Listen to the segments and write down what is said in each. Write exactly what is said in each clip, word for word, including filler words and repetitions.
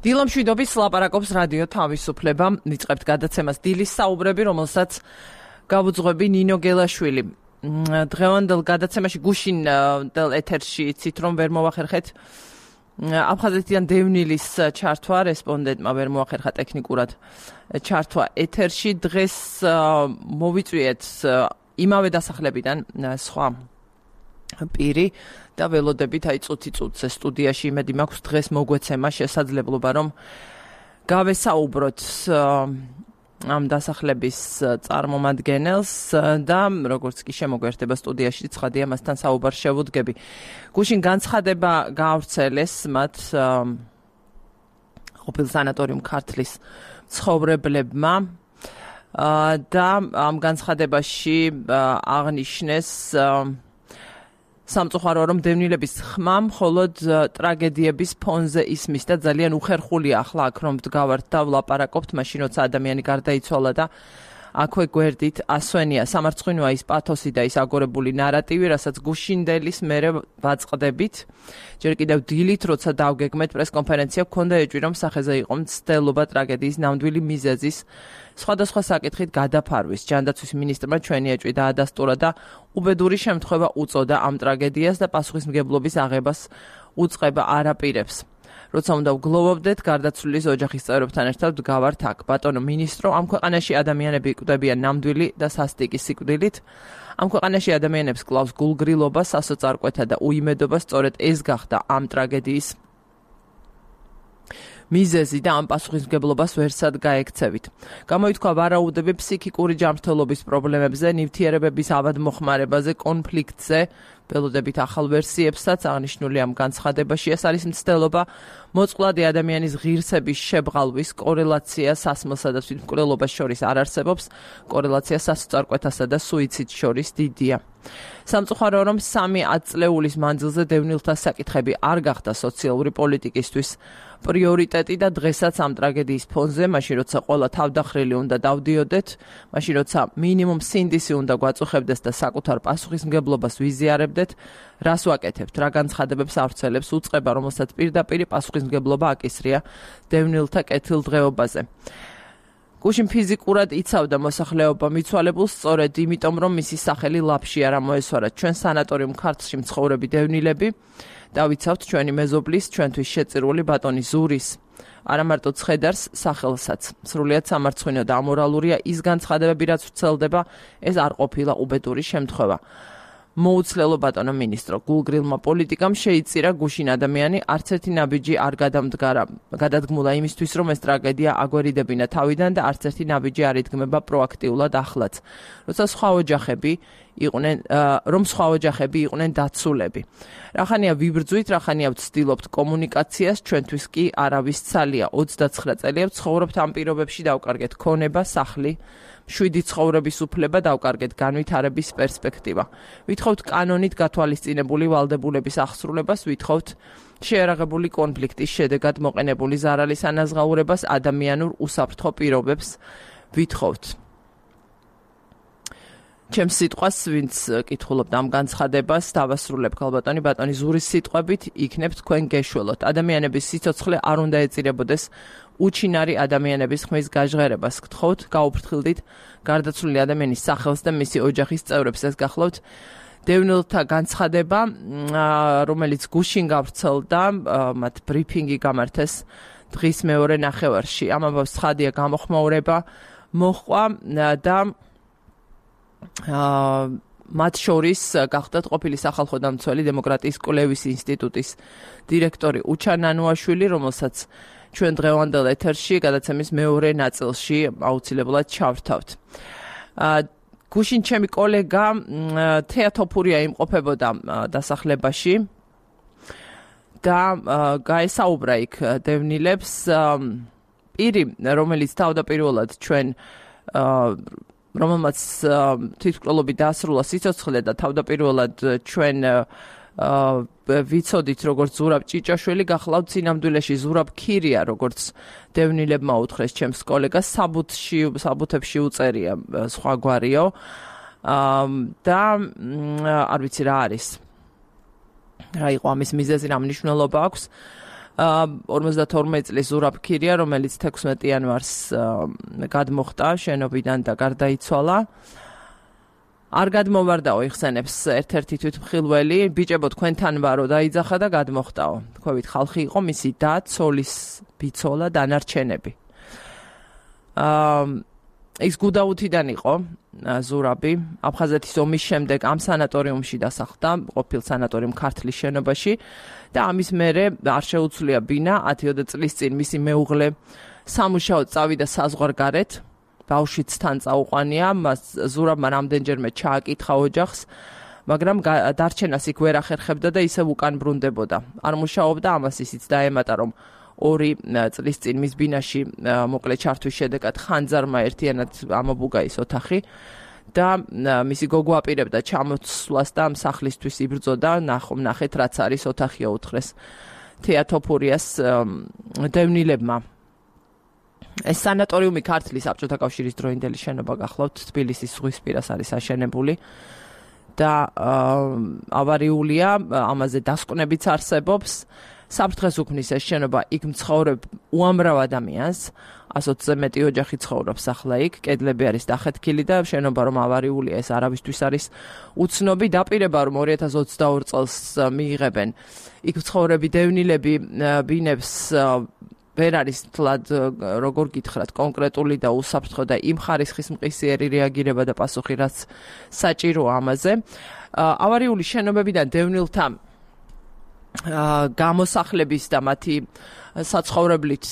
დილამშვიდობის ლაპარაკობს რადიო თავისუფლება. ვიწყებთ გადაცემას დილის საუბრები, რომელსაც გავუძღვები ნინო გელაშვილი. დღევანდელ გადაცემაში გუშინდელ ეთერში იცით რომ ვერ მოვახერხეთ აფხაზეთიდან დევნილის ჩართვა, რესპონდენტმა ვერ მოახერხა ტექნიკურად ჩართვა ეთერში. დღეს მოვიწვიეთ იმავე დასახლებიდან სხვა პირი და ველოდებით აი წუთი წუთზე სტუდიაში იმედი მაქვს დღეს მოგვეცემა შესაძლებლობა რომ გავესაუბროთ ამ დასახლების წარმომადგენელს და როგორც კი შემოგვერთება სტუდიაში ცხადია მასთან საუბარს შევუდგები. გუშინ განცხადება გაავრცელეს მათ ყოფილ სანატორიუმ ქართლის მცხოვრებლებმა და ამ განცხადებაში აღნიშნეს სამწუხაროა რომ დევნილების ხმა მხოლოდ ტრაგედიების ფონზე ისმის და ძალიან უხერხულია ახლა აქ რომ ვდგავართ და ვლაპარაკობთ მაშინ როცა ადამიანი გარდაიცვალა და აქვე გვერდით ასვენია. სამარცხვინოა ის პათოსი და ის აგორებული ნარატივი, რასაც გუშინდელის მერე ვაწყდებით. ჯერ კიდევ დილით როცა დავგეგმეთ პრესკონფერენცია, გქონდა ეჭვი რომ სახეზე იყო მცდელობა ტრაგედიის ნამდვილი მიზეზის სხვადასხვა საკითხით გადაფარვის. ჯანდაცვის მინისტრმა ჩვენი ეჭვი დაადასტურა და უბედური შემთხვევა უწოდა ამ ტრაგედიას და პასუხისმგებლობის აღებას უწყება არ აპირებს. როცა უნდა ვგლოვობდეთ, გარდაცვლილის ოჯახის წევრებთან ერთად ვდგავართ აქ. ბატონო მინისტრო, ამ ქვეყანაში ადამიანები იკვდებიან ნამდვილი და სასტიკი სიკვდილით. ამ ქვეყანაში ადამიანებს კლავს გულგრილობა, სასოწარკვეთა და უიმედობა, სწორედ ეს გახდა ამ ტრაგედიის მიზეზი და ამ პასუხისმგებლობას ვერსად გაექცევით. გამოითქვა ვარაუდები ფსიქიკური ჯანმრთელობის პრობლემებზე, ნივთიერებების ავადმოხმარებაზე, კონფლიქტზე, ველოდებით ახალ ვერსიებსაც აღნიშნული ამ განცხადებაში. ეს არის მცდელობა მოწყვლადი ადამიანის ღირსების შებრალვის კორელაცია სასმელსა და თვითმკვლელობას შორის არ არსებობს, კორელაცია სასოწარკვეთასა და სუიციდს შორის დიდია. სამწუხაროა რომ სამი ათწლეულის მანძილზე დევნილთა საკითხები არ გახდა სოციალური პოლიტიკისთვის პრიორიტეტი და დღესაც ამ ტრაგედიის ფონზე, მაშინ როცა ყველა თავდახრილი უნდა დავდიოდეთ, მაშინ როცა მინიმუმ სინდისი უნდა გვაწუხებდეს და საკუთარ პასუხისმგებლობას ვიზიარებდეთ, რას ვაკეთებთ, რა განცხადებებს ავრცელებს უწყება, რომელსაც პირდაპირ პასუხისმგებლობა აკისრია დევნილთა კეთილდღეობაზე. გუშინ ფიზიკურად იცავდა მოსახლეობა მიცვალებულს სწორედ იმიტომ, რომ მისი სახელი ლაფში არ ამოესვარა. ჩვენ სანატორიუმ ქართლში მცხოვრები დევნილები დავიცავთ ჩვენი მეზობლის, ჩვენთვის შეწირული ბატონი ზურის, არა მარტო ცხედარს, სახელსაც. სრულიად სამარცხვინო და ამორალურია ის განცხადებები, რაც ვრცელდება, ეს არ ყოფილა უბედური შემთხვევა. მოუცლელო ბატონო მინისტრო, გულგრილმა პოლიტიკამ შეიწირა გუშინ ადამიანი, არც ერთი ნაბიჯი არ გადამდგარა, გადადგმულა იმისთვის, რომ ეს ტრაგედია აგვერიდებინა თავიდან და არც ერთი ნაბიჯი არ იდგმება პროაქტიულად ახლაც. როცა სხვა ოჯახები იყვნენ, რომ სხვა ოჯახები იყვნენ დაცულები. რახანია ვიბრძვით, რახანია ვცდილობთ კომუნიკაციას, ჩვენთვის კი არავის ცალია. ოცდაცხრა წელია ვცხოვრობთ ამ პირობებში, დავკარგეთ ქონება, სახლი, შვიდი ცხოვრების უფლება, დავკარგეთ განვითარების პერსპექტივა. ვითხოვთ კანონით გათვალისწინებული ვალდებულების აღსრულებას, ვითხოვთ შეერაღებული კონფლიქტის შედეგად მოყენებული ზარალის ანაზღაურებას, ადამიანურ უსაფრთხო პირობებს ვითხოვთ. ჩემს სიტყვას, ვინც კითხულობთ ამ განცხადებას, დავასრულებ ქალბატონი ბატონი ზურის სიტყვებით, იქნებ თქვენ გეშველოთ. ადამიანების სიცოცხლე არ უნდა ეწირებოდეს უჩინარი ადამიანების ხმის გაჟღერებას. გთხოვთ, გაუფრთხილდით გარდაცვლილი ადამიანის სახელს და მისი ოჯახის წევრებს. ეს გახლავთ დევნილთა განცხადება, რომელიც გუშინ გავრცელდა, მათ ბრიფინგი გამართეს დღის მეორე ნახევარში. ამავე ცხადია გამოხმაურება მოჰყვა და მათ შორის გახდათ ყოფილი სახალხო დამცველი დემოკრატიის კვლევის ინსტიტუტის დირექტორი უჩა ნანუაშვილი, რომელსაც ჩვენ დღევანდელ ეთერში გადაცემის მეორე ნაწილში აუცილებლად ჩავრთავთ. გუშინ ჩემი კოლეგა თეატოფურია იმყოფებოდა დასახლებაში და გაესაუბრა იქ დევნილებს. პირი, რომელიც თავდაპირველად ჩვენ რომელმაც თვითმკვლელობით დაასრულა სიცოცხლე და თავდაპირველად ჩვენ ვიცოდით როგორც ზურაბ ჭიჭაშვილი, გახლავთ სინამდვილეში ზურაბ ქირია, როგორც დევნილებმა უთხრეს ჩემს კოლეგას, საბუთში საბუთებში უწერია სხვაგვარიო და არ ვიცი რა არის. რა იყო ამის მიზეზი, რა მნიშვნელობა აქვს. ორმოცდათორმეტ წლის ზურაბ ქირია, რომელიც თექვსმეტი იანვარს გადმოხტა შენობიდან და გარდაიცვალა. არ გადმოვარდაო იხსენებს ერთ-ერთი თვითმხილველი, ბიჭებო თქვენთან ვარო დაიძახა და გადმოხტაო. თქვენით ხალხი იყო მისი და, ცოლის ბიცოლა, დანარჩენები. აა ის გუდაუთიდან იყო ზურაბი, აფხაზეთის ომის შემდეგ ამ სანატორიუმში დასახლდა, ყოფილ სანატორიუმ ქართლის შენობაში და ამის მერე არ შეუცვლია ბინა, ათიოდე წლის წინ მისი მეუღლე სამუშაოდ წავიდა საზღვარგარეთ. ბავშვიც თან წაუყვანია, მას ზურაბმა რამდენჯერმე ჩააკითხა ოჯახს, მაგრამ დარჩენას იქ ვერ ახერხებდა და ისევ უკან ბრუნდებოდა. არ მუშაობდა, ამას ისიც დაემატა, რომ ორი წლის წინ მის ბინაში მოკლე ჩართვის შედეგად ხანძარმა ერთიანად ამობუგა ის ოთახი და მისი გოგო აპირებდა ჩამოსვლას და სახლისთვის იბრძოდა, ნახეთ რაც არის ოთახია უთხრეს თეატოფურიას დევნილებმა. ეს სანატორიუმი ქართლის საბჭოთა კავშირის დროინდელი შენობა გახლავთ, თბილისის ზღვისპირას არის აშენებული და ავარიულია, ამაზე დასკვნებიც არსებობს. საფრთხეს უქმნის ეს შენობა იქ მცხოვრებ უამრავ ადამიანს, ასოცზე მეტი ოჯახი ცხოვრობს ახლა იქ, კედლები არის დახეთქილი და შენობა რომ ავარიულია, ეს არავისთვის არის უცნობი. დაპირება რომ ორი ათას ოცდაორი წელს მიიღებენ იქ მცხოვრები დევნილები ბინებს ვერ არის თლად როგორ გითხრათ კონკრეტული და უსაფრთხო და იმ ხარისხის მყისიერი რეაგირება და პასუხი რაც საჭიროა ამაზე. ავარიული შენობებიდან დევნილთა გამოსახლების და მათი საცხოვრებლით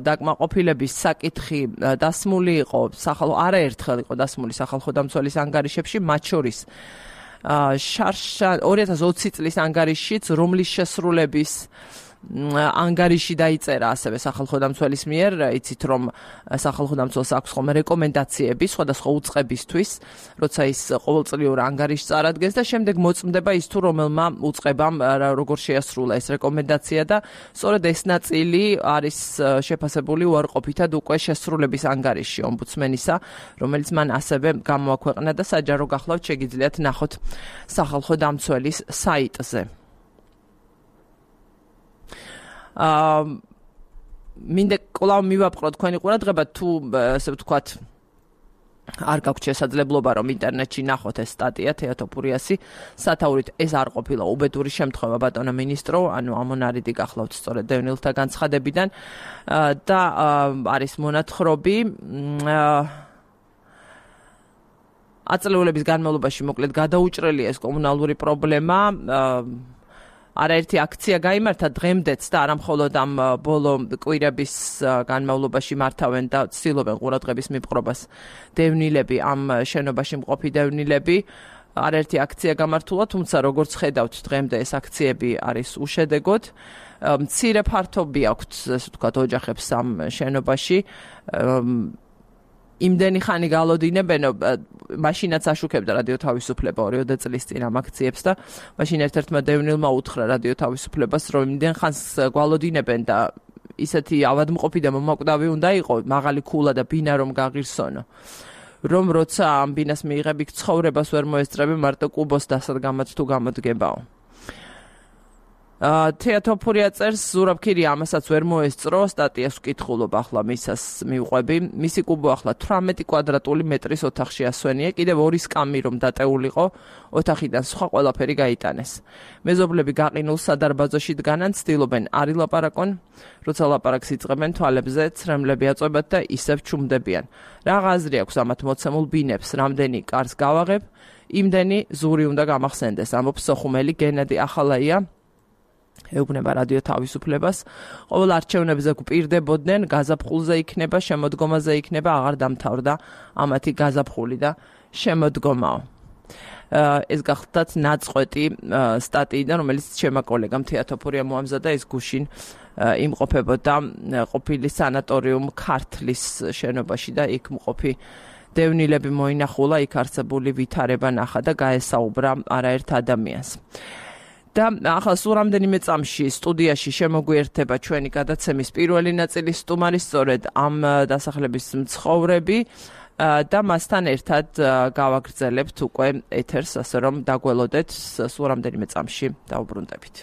დაკმაყოფილების საკითხი დასმული იყო სახალხო არაერთხელ იყო დასმული სახალხო დამცველის ანგარიშებში, მათ შორის ორი ათას ოცი წლის ანგარიშიც, რომლის შესრულების ანგარიში დაიწერა ასევე სახალხო დამცველის მიერ, იცით რომ სახალხო დამცველს აქვს ხოლმე რეკომენდაციები სხვადასხვა უწყებისთვის, როცა ის ყოველწლიურ ანგარიშს წარადგენს და შემდეგ მოწმდება ის თუ რომელმა უწყებამ როგორ შეასრულა ეს რეკომენდაცია და სწორედ ეს ნაწილი არის შეფასებული უარყოფითად უკვე შესრულების ანგარიში ომბუდსმენისა, რომელიც მან ასევე გამოაქვეყნა და საჯარო გახლავთ შეგიძლიათ ნახოთ სახალხო დამცველის საიტზე. აა მინდა კვლავ მივაპყრო თქვენი ყურადღება თუ ასე ვთქვათ არ გაქვთ შესაძლებლობა რომ ინტერნეტში ნახოთ ეს სტატია თეატოფურიასი სათაურით ეს არ ყოფილა უბედური შემთხვევა ბატონო მინისტრო, ანუ ამონარიდი გახლავთ სწორედ დევნილთა განცხადებიდან და არის მონათხრობი აწლეულების განმავლობაში მოკლედ გადაუჭრელია ეს კომუნალური პრობლემა. არაერთი აქცია გაიმართა დღემდეც და არა მხოლოდ ამ ბოლო კვირების განმავლობაში მართავენ და ცდილობენ ყურადღების მიპყრობას დევნილები, ამ შენობაში მყოფი დევნილები. არაერთი აქცია გამართულა, თუმცა როგორც ხედავთ დღემდე ეს აქციები არის უშედეგოდ. მცირე ფართობი აქვთ, ასე ვთქვათ, ოჯახებს ამ შენობაში. იმდენი ხანი გალოდინებენ, მაშინაც აშუქებდა რადიო თავისუფლება ორიოდე წლის წინ ამ აქციებს და მაშინ ერთ-ერთმა დევნილმა უთხრა რადიო თავისუფლებას, რომ იმდენ ხანს გვალოდინებენ და ისეთი ავადმყოფი და მომაკვდავი უნდა იყო, მაღალი ქულა და ბინა რომ გაღირსონო. რომ როცა ამ ბინას მიიღები ცხოვრებას ვერ მოესწრები, მარტო კუბოს დასადგამად თუ გამოდგებაო. თეატოფურია წერს, ზურაბ ქირია ამასაც ვერ მოესწრო, სტატიას ვკითხულობ ახლა მისას მივყვები. მისი კუბო ახლა თვრამეტი კვადრატული მეტრის ოთახში ასვენია, კიდევ ორი სკამი რომ დატეულიყო, ოთახიდან სხვა ყველაფერი გაიტანეს. მეზობლები გაყინულ სადარბაზოში დგანან, ცდილობენ არ ილაპარაკონ, როცა ლაპარაკს იწყებენ თვალებზე ცრემლები აწვებათ და ისევ ჩუმდებიან. რა აზრი აქვს ამათ მოცემულ ბინებს, რამდენი კარს გავაღებ, იმდენი ზური უნდა გამახსენდეს, ამბობს სოხუმელი გენადი ახალაია. ეუბნება რადიო თავისუფლებას, ყოველ არჩევნებზე გვპირდებოდნენ, გაზაფხულზე იქნება, შემოდგომაზე იქნება, აღარ დამთავრდა ამათი გაზაფხული და შემოდგომაო. ეს გახლდათ ნაწყვეტი სტატიიდან, რომელიც ჩემმა კოლეგამ თეატოფურია მოამზადა, ეს გუშინ იმყოფებოდა ყოფილი სანატორიუმ ქართლის შენობაში და იქ მყოფი დევნილები მოინახულა, იქ არსებული ვითარება ნახა და გაესაუბრა არაერთ ადამიანს. და ახლა სულ რამდენიმე წამში სტუდიაში შემოგვიერთება ჩვენი გადაცემის პირველი ნაწილის სტუმარი, სწორედ ამ დასახლების მცხოვრები და მასთან ერთად გავაგრძელებთ უკვე ეთერს, ასე რომ დაგველოდეთ სულ რამდენიმე წამში დავუბრუნდებით.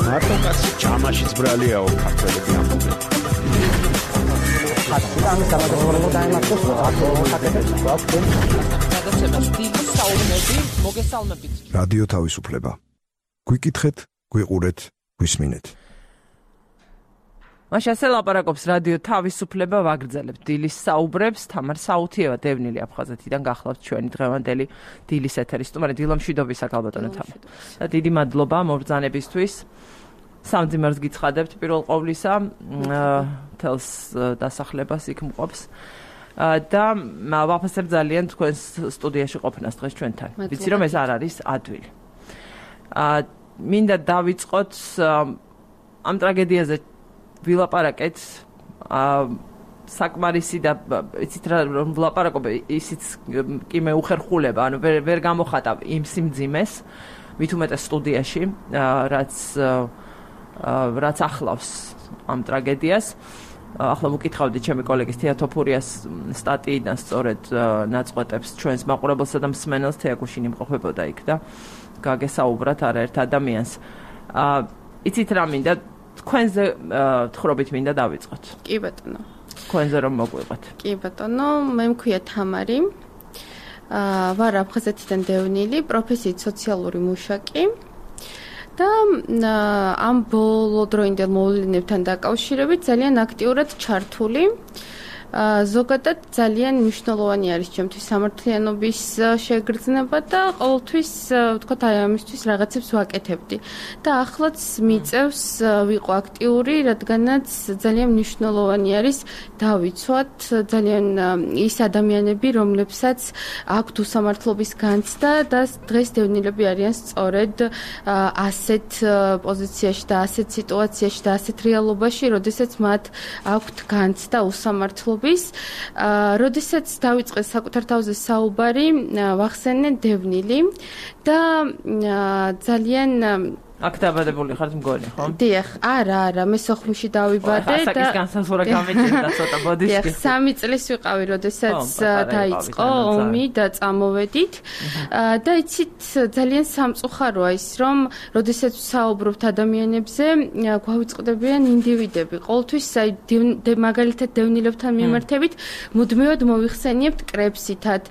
მარტო კაცი ჩამაშიც ბრალიაო ქართველები ამბობენ. რადიო თავისუფლება. გვიკითხეთ, გვიყურეთ, გვისმინეთ. მაშინ ასე ლაპარაკობს რადიო თავისუფლება, ვაგრძელებთ დილის საუბრებს. თამარ საუთიევა დევნილი აფხაზეთიდან გახლავთ ჩვენი დღევანდელი დილის ეთერის სტუმარი. დილო მშვიდობისა ქალბატონო თამარ. და დიდი მადლობა მობრძანებისთვის. სამძიმარს გიცხადებთ პირველ ყოვლისა, თელს დასახლებას იქ მყოფს. და ვაფასებ ძალიან თქვენს სტუდიაში ყოფნას დღეს ჩვენთან. ვიცი რომ ეს არ არის ადვილი. მინდა დავიწყოთ ამ ტრაგედიაზე ვილაპარაკეთ. საკმარისი და იცით რა რომ ვილაპარაკობ ისიც კი მე უხერხულება, ანუ ვერ ვერ გამოხატავ იმ სიმძიმეს, მით უმეტეს სტუდიაში, რაც რაც ახლავს ამ ტრაგედიას. ახლა მოკითხავდი ჩემი კოლეგის თეატოფურიას სტატიიდან სწორედ ნაწყვეტებს ჩვენს მაყურებელსა და მსმენელს თეაკუშინი იმყოფებოდა იქ და გაგესაუბრათ არაერთ ადამიანს. იცით რა მინდა თქვენზე თხრობით მინდა დავიწყოთ. კი ბატონო. თქვენზე რომ მოგვიყვეთ. კი ბატონო, მე მქვია თამარი. აა ვარ აფხაზეთიდან დევნილი, პროფესიით სოციალური მუშაკი. და ამ ბოლო დროინდელ მოვლენებთან დაკავშირებით ძალიან აქტიურად ჩართული. ზოგადად ძალიან მნიშვნელოვანი არის ჩემთვის სამართლიანობის შეგრძნება და ყოველთვის ვთქვათ აი ამისთვის რაღაცებს ვაკეთებდი. და ახლაც მიწევს ვიყო აქტიური, რადგანაც ძალიან მნიშვნელოვანი არის დავიცვათ ძალიან ის ადამიანები, რომლებსაც აქვთ უსამართლობის განცდა და დღეს დევნილები არიან სწორედ ასეთ პოზიციაში და ასეთ სიტუაციაში და ასეთ რეალობაში, როდესაც მათ აქვთ განცდა უსამართლობის. როდესაც დავიწყე საკუთარ თავზე საუბარი, ვახსენე დევნილი და ძალიან აქ დაბადებული ხართ მგონი, ხო? დიახ, არა, არა, მე სოხუმში დავიბადე და ასაკის განსაზღვრა გამიჭირდა ცოტა ბოდიშკი. დიახ, სამი წლის ვიყავი, როდესაც დაიწყო ომი და წამოვედით. და იცით, ძალიან სამწუხაროა ის, რომ როდესაც საუბრობთ ადამიანებზე, გვავიწყდებიან ინდივიდები. ყოველთვის აი მაგალითად დევნილებთან მიმართებით მუდმივად მოვიხსენიებთ კრებსითად.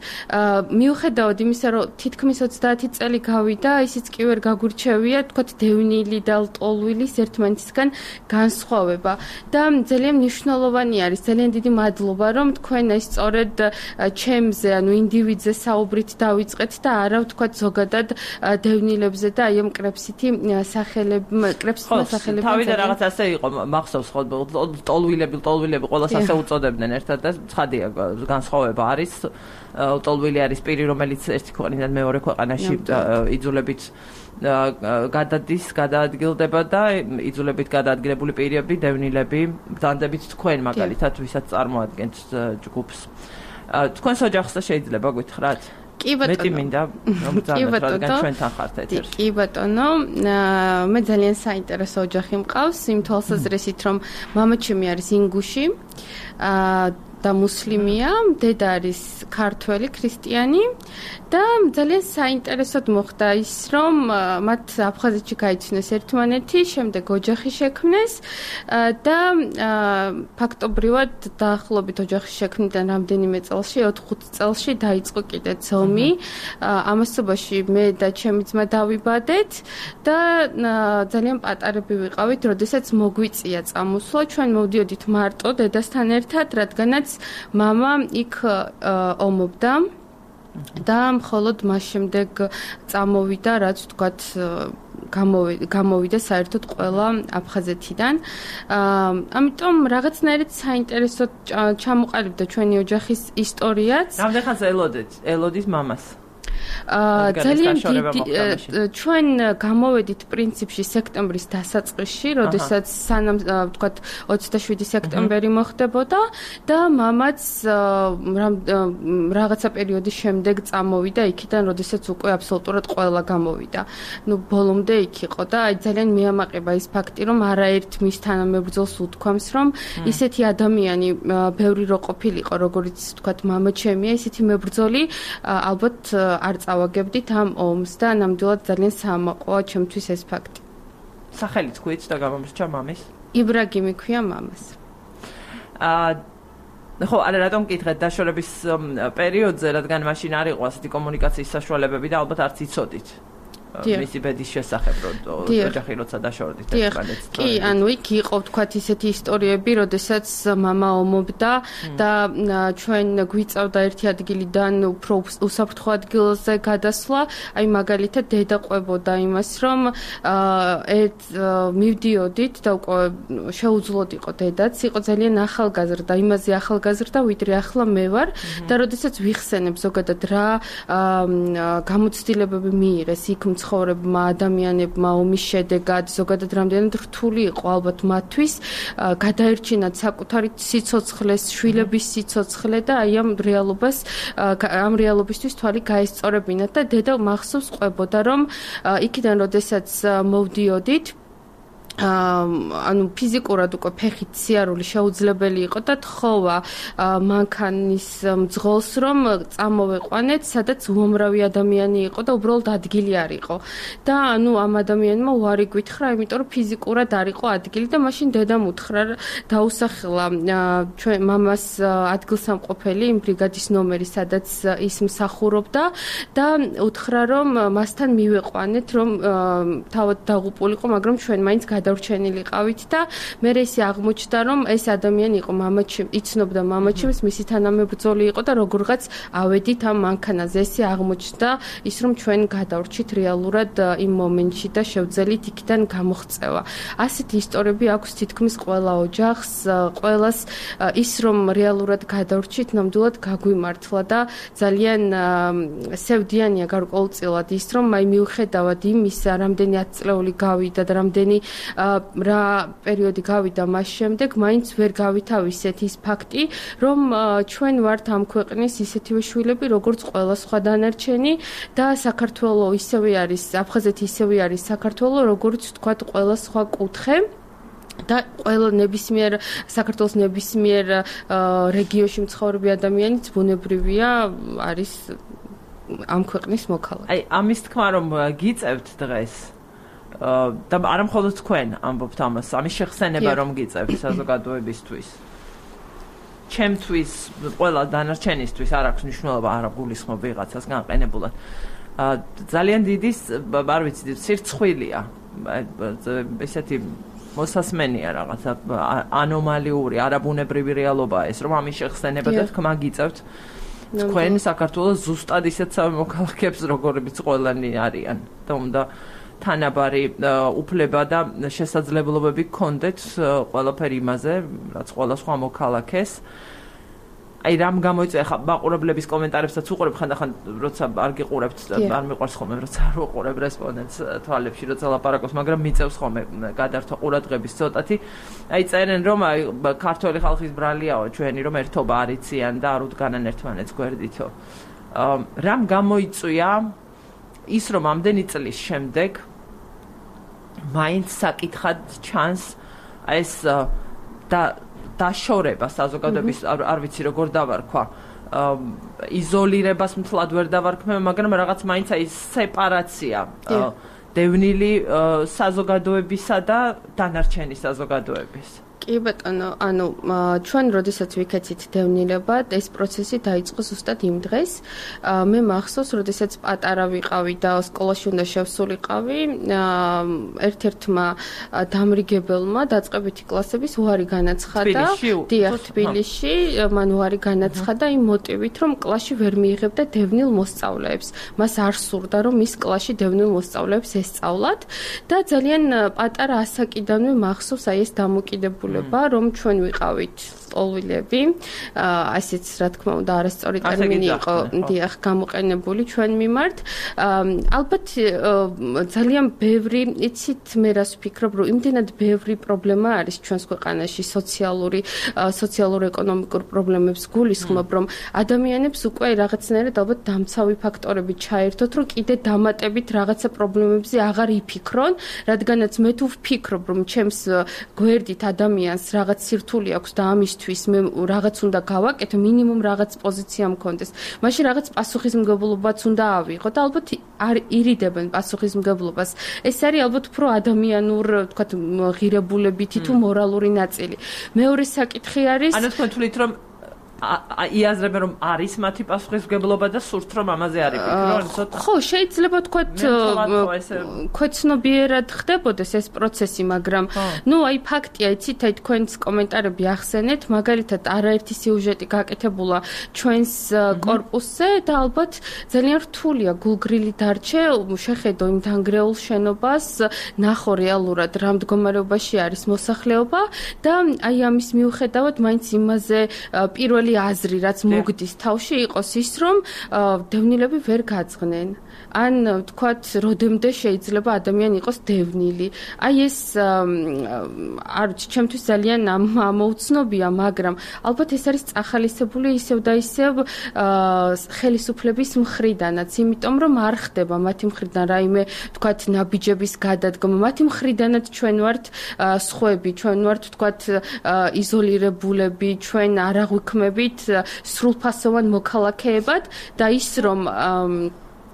მიუხედავად იმისა, რომ თითქმის ოცდაათი წელი გავიდა, ისიც კი ვერ გაგურჩევია, თქვათ დევნილი და ლტოლვილის ერთმანეთისგან განსხვავება და ძალიან მნიშვნელოვანი არის, ძალიან დიდი მადლობა, რომ თქვენ ეს სწორედ ჩემზე, ანუ ინდივიდზე საუბრით დავიწყეთ და არა ვთქვათ ზოგადად დევნილებზე და აი ამ კრებსითი სახელები, კრებსითმა სახელები. თავიდან რაღაც ასე იყო, მახსოვს ხო, ლტოლვილები, ლტოლვილები ყველას ასე უწოდებდნენ ერთად და ცხადია განსხვავება არის. ლტოლვილი არის პირი, რომელიც ერთი ქვეყნიდან მეორე ქვეყანაში იძულებით გადადის, გადაადგილდება და იძულებით გადაადგილებული პირები, დევნილები, ბრძანდებით თქვენ მაგალითად, ვისაც წარმოადგენთ ჯგუფს. თქვენს ოჯახს და შეიძლება გითხრათ? კი ბატონო. მეტი მინდა ბრძანდეთ, რადგან ჩვენთან ხართ ეთერში. კი ბატონო, მე ძალიან საინტერესო ოჯახი მყავს, იმ თვალსაზრისით, რომ მამაჩემი არის ინგუში. და მუსლიმია, დედა არის ქართველი, ქრისტიანი და ძალიან საინტერესოდ მოხდა ის, რომ მათ აფხაზეთში გაიცნეს ერთმანეთი, შემდეგ ოჯახი შექმნეს და ფაქტობრივად დაახლოებით ოჯახის შექმნიდან რამდენიმე წელში, ოთხ-ხუთ წელში დაიწყო კიდეც ომი. ამასობაში მე და ჩემი ძმა დავიბადეთ და ძალიან პატარები ვიყავით, როდესაც მოგვიწია წამოსვლა. ჩვენ მოვდიოდით მარტო დედასთან ერთად, რადგანაც მამა იქ ომობდა და მხოლოდ მას შემდეგ წამოვიდა, რაც ვთქვათ გამოვიდა საერთოდ ყველა აფხაზეთიდან. ამიტომ რაღაცნაირად საინტერესოდ ჩამოყალიბდა ჩვენი ოჯახის ისტორიაც. რამდენ ხანს ელოდეთ? ელოდით მამას? ძალიან დიდი ჩვენ გამოვედით პრინციპში სექტემბრის დასაწყისში, როდესაც სანამ ვთქვათ ოცდაშვიდი სექტემბერი მოხდებოდა და მამაც რაღაცა პერიოდის შემდეგ წამოვიდა იქიდან, როდესაც უკვე აბსოლუტურად ყველა გამოვიდა. ნუ ბოლომდე იქ იყო და აი ძალიან მიამაყება ის ფაქტი, რომ არაერთ მის თანამებრძოლს უთქვამს, რომ ისეთი ადამიანი ბევრი რო ყოფილიყო, როგორც ვთქვათ მამა ჩემია, ისეთი მებრძოლი ალბათ არ წავაგებდით ამ ომს და ნამდვილად ძალიან საამაყოა ჩემთვის ეს ფაქტი. სახელიც ქვით და გამომსჭა მამის? იბრაგიმი ქვია მამას. აა ხო, არა რატომ მკითხეთ დაშორების პერიოდზე, რადგან მაშინ არ იყო ასეთი კომუნიკაციის საშუალებები და ალბათ არც იცოდით. მისი ბედის შესახებ რომ ოჯახი როცა დაშორდით ერთმანეთს. კი, ანუ იქ იყო თქვათ ისეთი ისტორიები, როდესაც მამა ომობდა და ჩვენ გვიწევდა ერთი ადგილიდან უფრო უსაფრთხო ადგილზე გადასვლა, აი მაგალითად დედა ყვებოდა იმას, რომ ერთ მივდიოდით და უკვე შეუძლოდ იყო დედაც, იყო ძალიან ახალგაზრდა, იმაზე ახალგაზრდა, ვიდრე ახლა მე ვარ და როდესაც ვიხსენებ ზოგადად რა გამოცდილებები მიიღეს იქ ცხოვრებმა ადამიანებმა ომის შედეგად ზოგადად რამდენად რთული იყო ალბათ მათთვის გადაერჩინათ საკუთარი სიცოცხლეს, შვილების სიცოცხლე და აი ამ რეალობას ამ რეალობისთვის თვალი გაესწორებინათ და დედა მახსოვს ყვებოდა რომ იქიდან როდესაც მოვდიოდით ანუ ფიზიკურად უკვე ფეხით სიარული შეუძლებელი იყო და თხოვა მანქანის მძღოლს რომ წამოვეყვანეთ, სადაც უამრავი ადამიანი იყო და უბრალოდ ადგილი არ იყო. და ანუ ამ ადამიანმა უარი გვითხრა, იმიტომ რომ ფიზიკურად არ იყო ადგილი და მაშინ დედამ უთხრა დაუსახელა ჩვენ მამას ადგილსამყოფელი იმ ბრიგადის ნომერი, სადაც ის მსახურობდა და უთხრა რომ მასთან მივეყვანეთ, რომ თავად დაღუპულიყო, მაგრამ ჩვენ მაინც გადარჩენილი ყავით და მე ისე აღმოჩნდა რომ ეს ადამიანი იყო მამაჩემ, იცნობდა მამაჩემს, მისი თანამებრძოლი იყო და როგორღაც ავედით ამ მანქანაზე. ესე აღმოჩნდა ის რომ ჩვენ გადავრჩით რეალურად იმ მომენტში და შევძელით იქიდან გამოღწევა. ასეთი ისტორიები აქვს თითქმის ყველა ოჯახს, ყველას ის რომ რეალურად გადავრჩით ნამდვილად გაგვიმართლა და ძალიან სევდიანია გარკვეულწილად ის რომ აი მიუხედავად იმისა, რამდენი ათწლეული გავიდა და რამდენი რა პერიოდი გავიდა მას შემდეგ, მაინც ვერ გავითავისეთ ის ფაქტი, რომ ჩვენ ვართ ამ ქვეყნის ისეთივე შვილები, როგორც ყველა სხვა დანარჩენი და საქართველოს ისევე არის, აფხაზეთი ისევე არის საქართველოს, როგორც თქვათ ყველა სხვა კუთხე. და ყველა ნებისმიერ საქართველოს ნებისმიერ რეგიონში მცხოვრები ადამიანიც ბუნებრივია არის ამ ქვეყნის მოქალაქე. აი ამის თქმა რომ გიწევთ დღეს და არ მხოლოდ თქვენ ამბობთ ამას, ამის შეხსენება რომ გიწევთ საზოგადოებისთვის. ჩემთვის, ყველა დანარჩენისთვის არ აქვს მნიშვნელობა, არა გულისხმობ ვიღაცას განყენებულად. ძალიან დიდი, არ ვიცი, სირცხვილია. ესეთი მოსასმენია რაღაცა ანომალიური, არაბუნებრივი რეალობაა ეს, რომ ამის შეხსენება და თქმა გიწევთ თქვენ საქართველოს ზუსტად ისეთსავე მოქალაქეებს, როგორებიც ყველანი არიან. და უნდა თანაბარი უფლება და შესაძლებლობები გქონდეთ ყველაფერი იმაზე, რაც ყველა სხვა მოქალაქეს. აი რამ გამოიწვია ხა მაყურებლების კომენტარებსაც უყურებ ხანდახან როცა არ გიყურებთ არ მიყვარს ხოლმე როცა არ უყურებ რესპონდენტს თვალებში როცა ლაპარაკობს, მაგრამ მიწევს ხოლმე გადართვა ყურადღების ცოტათი. აი წერენ რომ აი ქართველი ხალხის ბრალიაო ჩვენი რომ ერთობა არ იციან და არ უდგანან ერთმანეთს გვერდითო. რამ გამოიწვია ის რომ ამდენი წლის შემდეგ მაინც საკითხად ჩანს ეს და დაშორება საზოგადოების არ ვიცი როგორ დავარქვა იზოლირებას მთლად ვერ დავარქმევ, მაგრამ რაღაც მაინც აი სეპარაცია დევნილი საზოგადოებისა და დანარჩენი საზოგადოების. კი ბატონო, ანუ ჩვენ როდესაც ვიქეცით დევნილებად, ეს პროცესი დაიწყო ზუსტად იმ დღეს. მე მახსოვს, როდესაც პატარა ვიყავი და სკოლაში უნდა შევსულიყავი, ერთ-ერთმა დამრიგებელმა დაწყებითი კლასების უარი განაცხადა. დიახ, თბილისში, მან უარი განაცხადა იმ მოტივით, რომ კლასში ვერ მიიღებდა დევნილ მოსწავლეებს. მას არ სურდა, რომ ის კლასში დევნილ მოსწავლეებს ესწავლათ და ძალიან პატარა ასაკიდანვე მახსოვს აი ეს დამოკიდებული რომ ჩვენ ვიყავით ლტოლვილები, ასეც რა თქმა უნდა არასწორი ტერმინი იყო დიახ გამოყენებული ჩვენ მიმართ. ალბათ ძალიან ბევრი, იცით მე რას ვფიქრობ, რომ იმდენად ბევრი პრობლემა არის ჩვენს ქვეყანაში, სოციალური, სოციალურ-ეკონომიკურ პრობლემებს გულისხმობ, რომ ადამიანებს უკვე რაღაცნაირად ალბათ დამცავი ფაქტორები ჩაერთოთ, რომ კიდე დამატებით რაღაცა პრობლემებზე აღარ იფიქრონ, რადგანაც მე თუ ვფიქრობ, რომ ჩემს გვერდით ადამიანი ადამიანს რაღაც სირთული აქვს და ამისთვის მე რაღაც უნდა გავაკეთო, მინიმუმ რაღაც პოზიცია მქონდეს. მაშინ რაღაც პასუხისმგებლობაც უნდა ავიღო და ალბათ არ ირიდებენ პასუხისმგებლობას. ეს არის ალბათ უფრო ადამიანურ, თქვათ, ღირებულებითი თუ მორალური ნაწილი. მეორე საკითხი არის ანუ თქვენ თვლით რომ იაზრებენ რომ არის მათი პასუხისმგებლობა და სურთ რომ ამაზე არ იფიქრონ ცოტა. ხო, შეიძლება თქვათ ქვეცნობიერად ხდებოდეს ეს პროცესი, მაგრამ ნუ აი ფაქტია, იცით, აი თქვენს კომენტარები ახსენეთ, მაგალითად არაერთი სიუჟეტი გაკეთებულა ჩვენს კორპუსზე და ალბათ ძალიან რთულია გულგრილი დარჩე, შეხედო იმ დანგრეულ შენობას, ნახო რეალურად რა მდგომარეობაში არის მოსახლეობა და აი ამის მიუხედავად მაინც იმაზე პირველი აზრი რაც მოგდის თავში იყოს ის რომ დევნილები ვერ გაძღნენ ან თქვათ როდემდე შეიძლება ადამიანი იყოს დევნილი აი ეს არ ვიცი ჩემთვის ძალიან ამოუცნობია მაგრამ ალბათ ეს არის წახალისებული ისევ და ისევ ხელისუფლების მხრიდანაც იმიტომ რომ არ ხდება მათი მხრიდან რაიმე თქვათ ნაბიჯების გადადგომა მათი მხრიდანაც ჩვენ ვართ სხვები ჩვენ ვართ თქვათ იზოლირებულები ჩვენ არ აღვიქმები სრულფასოვან მოქალაქეებად და ის რომ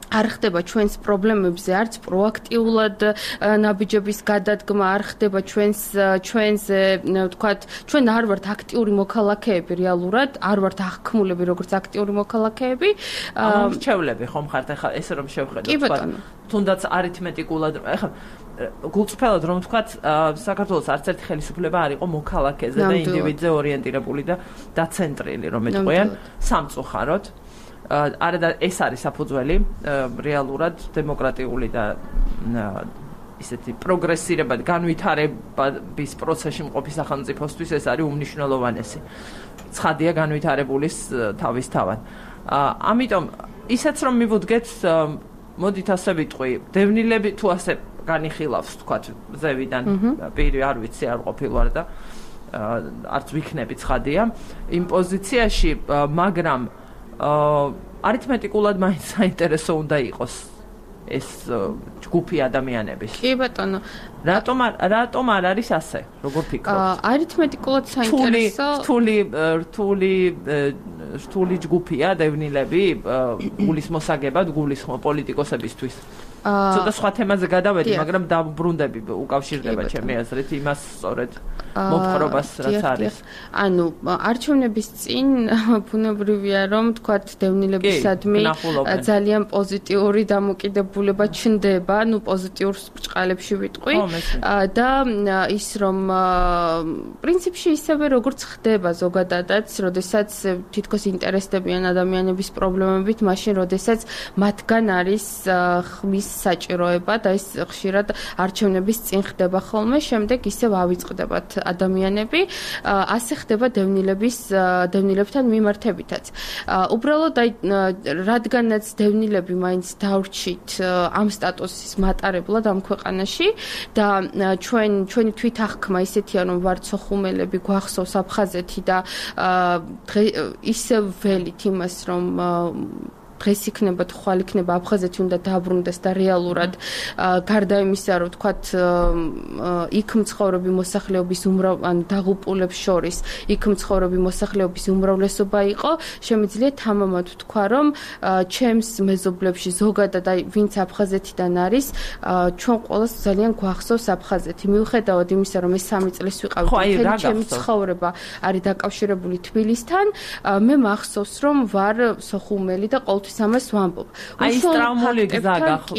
არ ხდება ჩვენს პრობლემებზე არც პროაქტიულად ნაბიჯების გადადგმა არ ხდება ჩვენს ჩვენზე ვთქვათ ჩვენ არ ვართ აქტიური მოქალაქეები რეალურად არ ვართ აღქმულები როგორც აქტიური მოქალაქეები მრჩევლები ხომ ხართ ახლა ესე რომ შევხედოთ ვთქვათ თუნდაც არითმეტიკულად ახლა გულწრფელად რომ ვთქვათ საქართველოს არც ერთი ხელისუფლება არ იყო მოქალაქეზე და ინდივიდზე ორიენტირებული და დაცენტრილი რომ ეტყვიან სამწუხაროდ არა და ეს არის საფუძველი რეალურად დემოკრატიული და ისეთი პროგრესირებად განვითარების პროცესში მყოფი სახელმწიფოსთვის ეს არის უმნიშვნელოვანესი. ცხადია განვითარებულის თავისთავად. ამიტომ ისაც რომ მივუდგეთ მოდით ასე ვიტყვი, დევნილები თუ ასე განიხილავს თქვათ ზევიდან პირი არ ვიცი არ ყოფილვარ და არც ვიქნები ცხადია იმ პოზიციაში მაგრამ არითმეტიკულად მაინც საინტერესო უნდა იყოს ეს ჯგუფი ადამიანების. კი ბატონო. რატომ რატომ არ არის ასე? როგორ ფიქრობთ? არითმეტიკულად საინტერესო. რთული რთული რთული ჯგუფია დევნილები გულის მოსაგებად გულისხმობ პოლიტიკოსებისთვის. ცოტა სხვა თემაზე გადავედი, მაგრამ დაბრუნდები უკავშირდება ჩემი აზრით იმას სწორედ მოპყრობას რაც არის. ანუ არჩევნების წინ ბუნებრივია რომ თქვათ დევნილებისადმი ძალიან პოზიტიური დამოკიდებულება ჩნდება, ну პოზიტიურ ბრჭყალებში ვიტყვი და ის რომ პრინციპში ისევე როგორც ხდება ზოგადადაც, როდესაც თითქოს ინტერესდებიან ადამიანების პრობლემებით, მაშინ როდესაც მათგან არის ხმის საჭიროება და ის ხშირად არჩევნების წინ ხდება ხოლმე, შემდეგ ისევ ავიწყდებათ ადამიანები, ასე ხდება დევნილების დევნილებთან მიმართებითაც. უბრალოდ აი რადგანაც დევნილები მაინც დავრჩით ამ სტატუსის მატარებლად ამ ქვეყანაში და ჩვენ ჩვენი თვითახკმა ისეთია რომ ვართ სოხუმელები, გვახსოვს აფხაზეთი და ისევ ველით იმას რომ დღეს იქნება თუ ხვალ იქნება აფხაზეთი უნდა დაბრუნდეს და რეალურად გარდა იმისა რომ თქვათ იქ მცხოვრები მოსახლეობის უმრავ ან დაღუპულებს შორის იქ მცხოვრები მოსახლეობის უმრავლესობა იყო შემიძლია თამამად ვთქვა რომ ჩემს მეზობლებში ზოგადად აი ვინც აფხაზეთიდან არის ჩვენ ყველას ძალიან გვახსოვს აფხაზეთი მიუხედავად იმისა რომ ეს სამი წლის ვიყავით მთელი ჩემი ცხოვრება არის დაკავშირებული თბილისთან მე მახსოვს რომ ვარ სოხუმელი და ყოველ ამას ვამბობ. აი ეს ტრაუმული გზა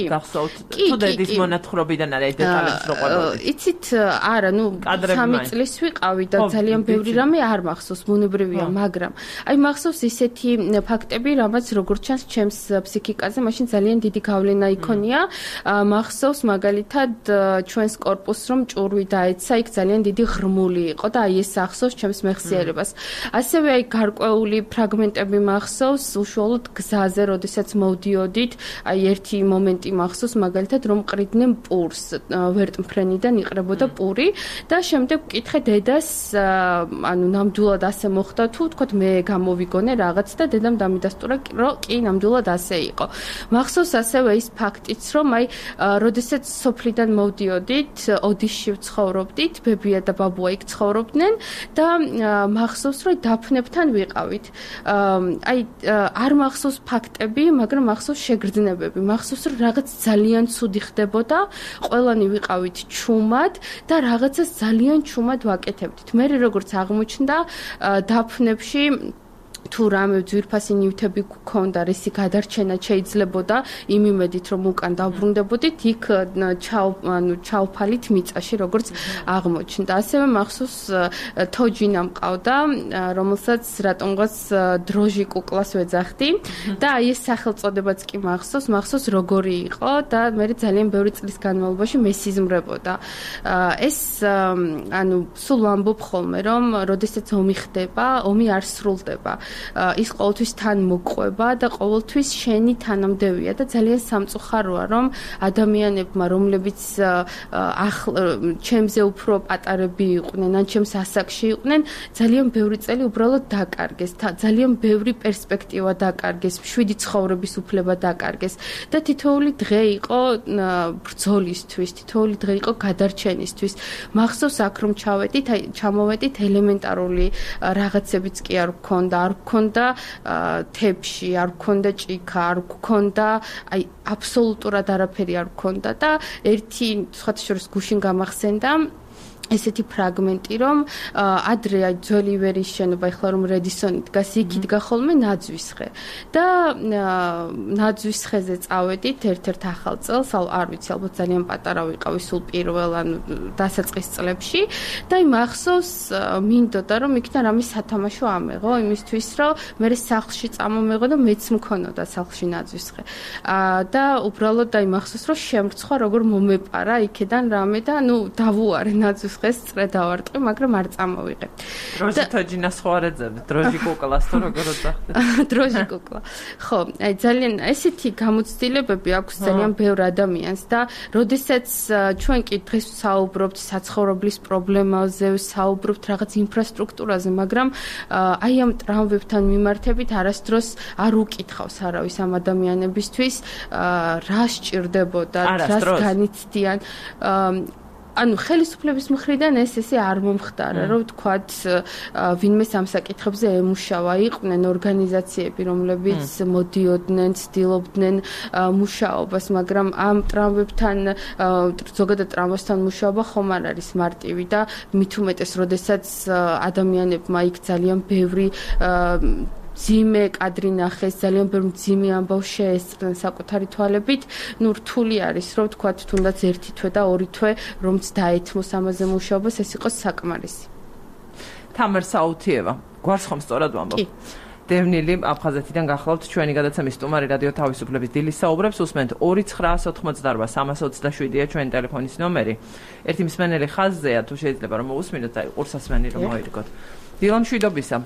გახსოვთ. თუ დედის მონათხრობიდან არის დეტალებს რო ყვებოდი. იცით, არა, ნუ სამი წლის ვიყავი და ძალიან ბევრი რამე არ მახსოვს, ბუნებრივია, მაგრამ აი მახსოვს ისეთი ფაქტები, რამაც როგორც ჩანს ჩემს ფსიქიკაზე, მაშინ ძალიან დიდი გავლენა იქონია. მახსოვს მაგალითად ჩვენს კორპუსს რომ ჭურვი დაეცა, იქ ძალიან დიდი ღრმული იყო და აი ეს ახსოვს ჩემს მეხსიერებას. ასევე აი გარკვეული ფრაგმენტები მახსოვს უშუალოდ გზაზე ხაზზე, როდესაც მოვდიოდით, აი ერთი მომენტი მახსოვს მაგალითად რომ ყრიდნენ პურს, ვერტმფრენიდან იყრებოდა პური და შემდეგ ვკითხე დედას, ანუ ნამდვილად ასე მოხდა თუ თქვათ მე გამოვიგონე რაღაც და დედამ დამიდასტურა რომ კი ნამდვილად ასე იყო. მახსოვს ასევე ის ფაქტიც რომ აი როდესაც სოფლიდან მოვდიოდით, ოდიშში ვცხოვრობდით, ბებია და ბაბუა იქ ცხოვრობდნენ და მახსოვს რომ დაფნებთან ვიყავით. აი არ მახსოვს ფაქტები, მაგრამ მახსოვს შეგრძნებები. მახსოვს რომ რაღაც ძალიან ცუდი ხდებოდა, ყველანი ვიყავით ჩუმად და რაღაცას ძალიან ჩუმად ვაკეთებდით. მე როგორც აღმოჩნდა დაფნებში თუ რამე ძვირფასი ნივთები გქონდა, რისი გადარჩენა შეიძლებოდა იმ იმედით რომ უკან დაბრუნდებოდით, იქ ჩაუ ანუ ჩაუფალით მიწაში როგორც აღმოჩნდა. ასევე მახსოვს თოჯინა მყავდა, რომელსაც რატომღაც დროჟი კუკლას ვეძახდი და აი ეს სახელწოდებაც კი მახსოვს, მახსოვს როგორი იყო და მე ძალიან ბევრი წლის განმავლობაში მესიზმრებოდა. ეს ანუ სულ ვამბობ ხოლმე რომ როდესაც ომი ხდება, ომი არ სრულდება. ის ყოველთვის თან მოყვება და ყოველთვის შენი თანამდებია და ძალიან სამწუხაროა რომ ადამიანებმა რომლებიც ჩემზე უფრო პატარები იყვნენ ან ჩემს ასაკში იყვნენ ძალიან ბევრი წელი უბრალოდ დაკარგეს ძალიან ბევრი პერსპექტივა დაკარგეს შვიდი ცხოვრების უფლება დაკარგეს და თითოეული დღე იყო ბრძოლისთვის თითოეული დღე იყო გადარჩენისთვის მახსოვს აქ რომ ჩავედით აი ჩამოვედით ელემენტარული რაღაცებიც კი არ გქონდა არ გქონდა თებში, არ გქონდა ჭიქა, არ გქონდა, აი აბსოლუტურად არაფერი არ გქონდა და ერთი სხვათა შორის გუშინ გამახსენდა ესეთი ფრაგმენტი რომ ადრე აი ძველი ივერიის შენობა ეხლა რომ რედისონი დგას იქ იდგა ხოლმე ნაძვისხე და ნაძვისხეზე წავედით ერთ-ერთ ახალ წელს არ ვიცი ალბათ ძალიან პატარა ვიყავი სულ პირველ ან დასაწყის წლებში და აი მახსოვს მინდოდა რომ იქიდან რამე სათამაშო ამეღო იმისთვის რომ მე სახლში წამომეღო და მეც მქონოდა სახლში ნაძვისხე და უბრალოდ აი მახსოვს რომ შემრცხვა როგორ მომეპარა იქიდან რამე და ნუ დავუარე ნაძვის ეს წრე დავარტყი, მაგრამ არ წამოვიღე. დროჟი თოჯინას ხوارეძები, დროჟი კუკლას თუ როგორ ვძახდეთ? დროჟი კუკლა. ხო, აი ძალიან ესეთი გამოცდილებები აქვს ძალიან ბევრ ადამიანს და როდესაც ჩვენ კი დღეს საუბრობთ საცხოვრებლის პრობლემაზე, საუბრობთ რაღაც ინფრასტრუქტურაზე, მაგრამ აი ამ ტრამვებთან მიმართებით არასდროს არ უკითხავს არავის ამ ადამიანებისთვის, რა სჭირდებოდა, რას განიცდიან ანუ ხელისუფლების მხრიდან ეს ესე არ მომხდარა, რომ თქვათ ვინმე სამსაკითხებზე ემუშავა, იყვნენ ორგანიზაციები, რომლებიც მოდიოდნენ, ცდილობდნენ მუშაობას, მაგრამ ამ ტრამვებთან ზოგადად ტრამვასთან მუშაობა ხომ არ არის მარტივი და მით უმეტეს, როდესაც ადამიანებმა იქ ძალიან ბევრი ძიმე კადრი ნახეს, ძალიან ბევრი ძიმე ამბავ შეესწრნენ საკუთარი თვალებით, ნუ რთული არის, რომ თქვათ თუნდაც ერთი თვე და ორი თვე რომც დაეთმოს ამაზე მუშაობას, ეს იყოს საკმარისი. თამარ საუთიევა, გვარს ხომ სწორად ვამბობ? კი. დევნილი აფხაზეთიდან გახლავთ ჩვენი გადაცემის სტუმარი რადიო თავისუფლების დილის საუბრებს უსმენთ ორი ცხრა ოთხმოცდაარბა სამას ოცდაშვიდია ჩვენი ტელეფონის ნომერი. ერთი მსმენელი ხაზზეა, თუ შეიძლება რომ მოусმინოთ, აი ყურსასმენი რომ მოერგოთ. დილა მშვიდობისა.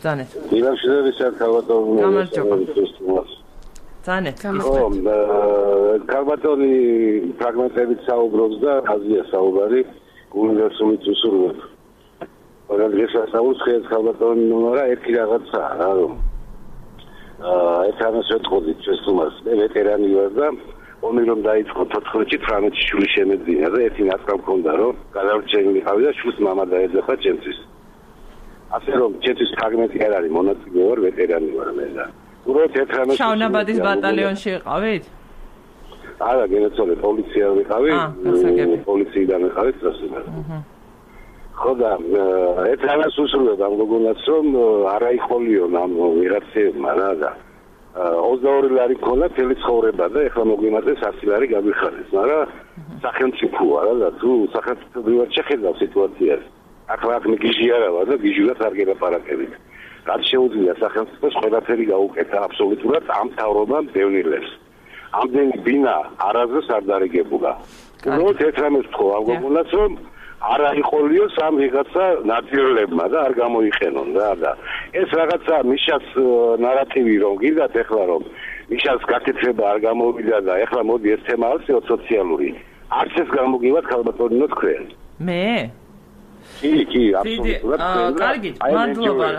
Zane. Დილა მშვიდობისა, ქალბატონი. გამარჯობა. Zane. ხო, ქალბატონი ფრაგმენტებით საუბრობს და აზია საუბარი უნივერსალური წუსურვებ. მაგრამ ეს ასაულს ხეთ ქალბატონი ნომერა ერთი რაღაცა რა რომ აა ეს ამას ვეთყოდით ჩვენს თუმას მე ვეტერანი ვარ და ომი რომ დაიწყო თოთხმეტი თვრამეტი შვილი შემეძინა და ერთი ნაცვლად მქონდა რომ გადარჩენილი ყავი და შვილს მამა დაეძახა ჩემთვის. ასე რომ ჩემთვის ფრაგმენტი არ არის მონაწილე ვარ ვეტერანი ვარ მე და უბრალოდ ეთრამეტი შავნაბადის ბატალიონში იყავით? არა, გენაცვალე პოლიცია ვიყავი, პოლიციიდან ვიყავი სტრასბურგში. ხო და ეთრამეტს უსურვებ ამ გოგონას რომ არ აიხოლიონ ამ ვიღაცებმა რა და ოცდაორი ლარი მქონდა მთელი ცხოვრება და ეხლა მოგვიმართეს ასი ლარი გაგვიხარეს, მაგრამ სახელმწიფოა რა და თუ სახელმწიფოებრივად შეხედავ სიტუაციას ახლა აქ გიჟი არა ვარ და გიჟურად არ გელაპარაკებით. რაც შეუძლია სახელმწიფოს ყველაფერი გაუკეთა აბსოლუტურად ამ თავრობამ დევნილებს. ამდენი ბინა არაზრს არ დარიგებულა. უბრალოდ ეთრამეს თქო ამ გოგონას რომ არ აიყოლიო სამ ვიღაცა ნაციონალებმა და არ გამოიყენონ რა და ეს რაღაცა მიშას ნარატივი რომ გიგდათ ეხლა რომ მიშას გაკეთება არ გამოვიდა და ეხლა მოდი ეს თემა არის სოციალური. არც ეს გამოგივათ ქალბატონო თქვენ. მე? კი, კი, აბსოლუტურად. კარგი, მადლობა.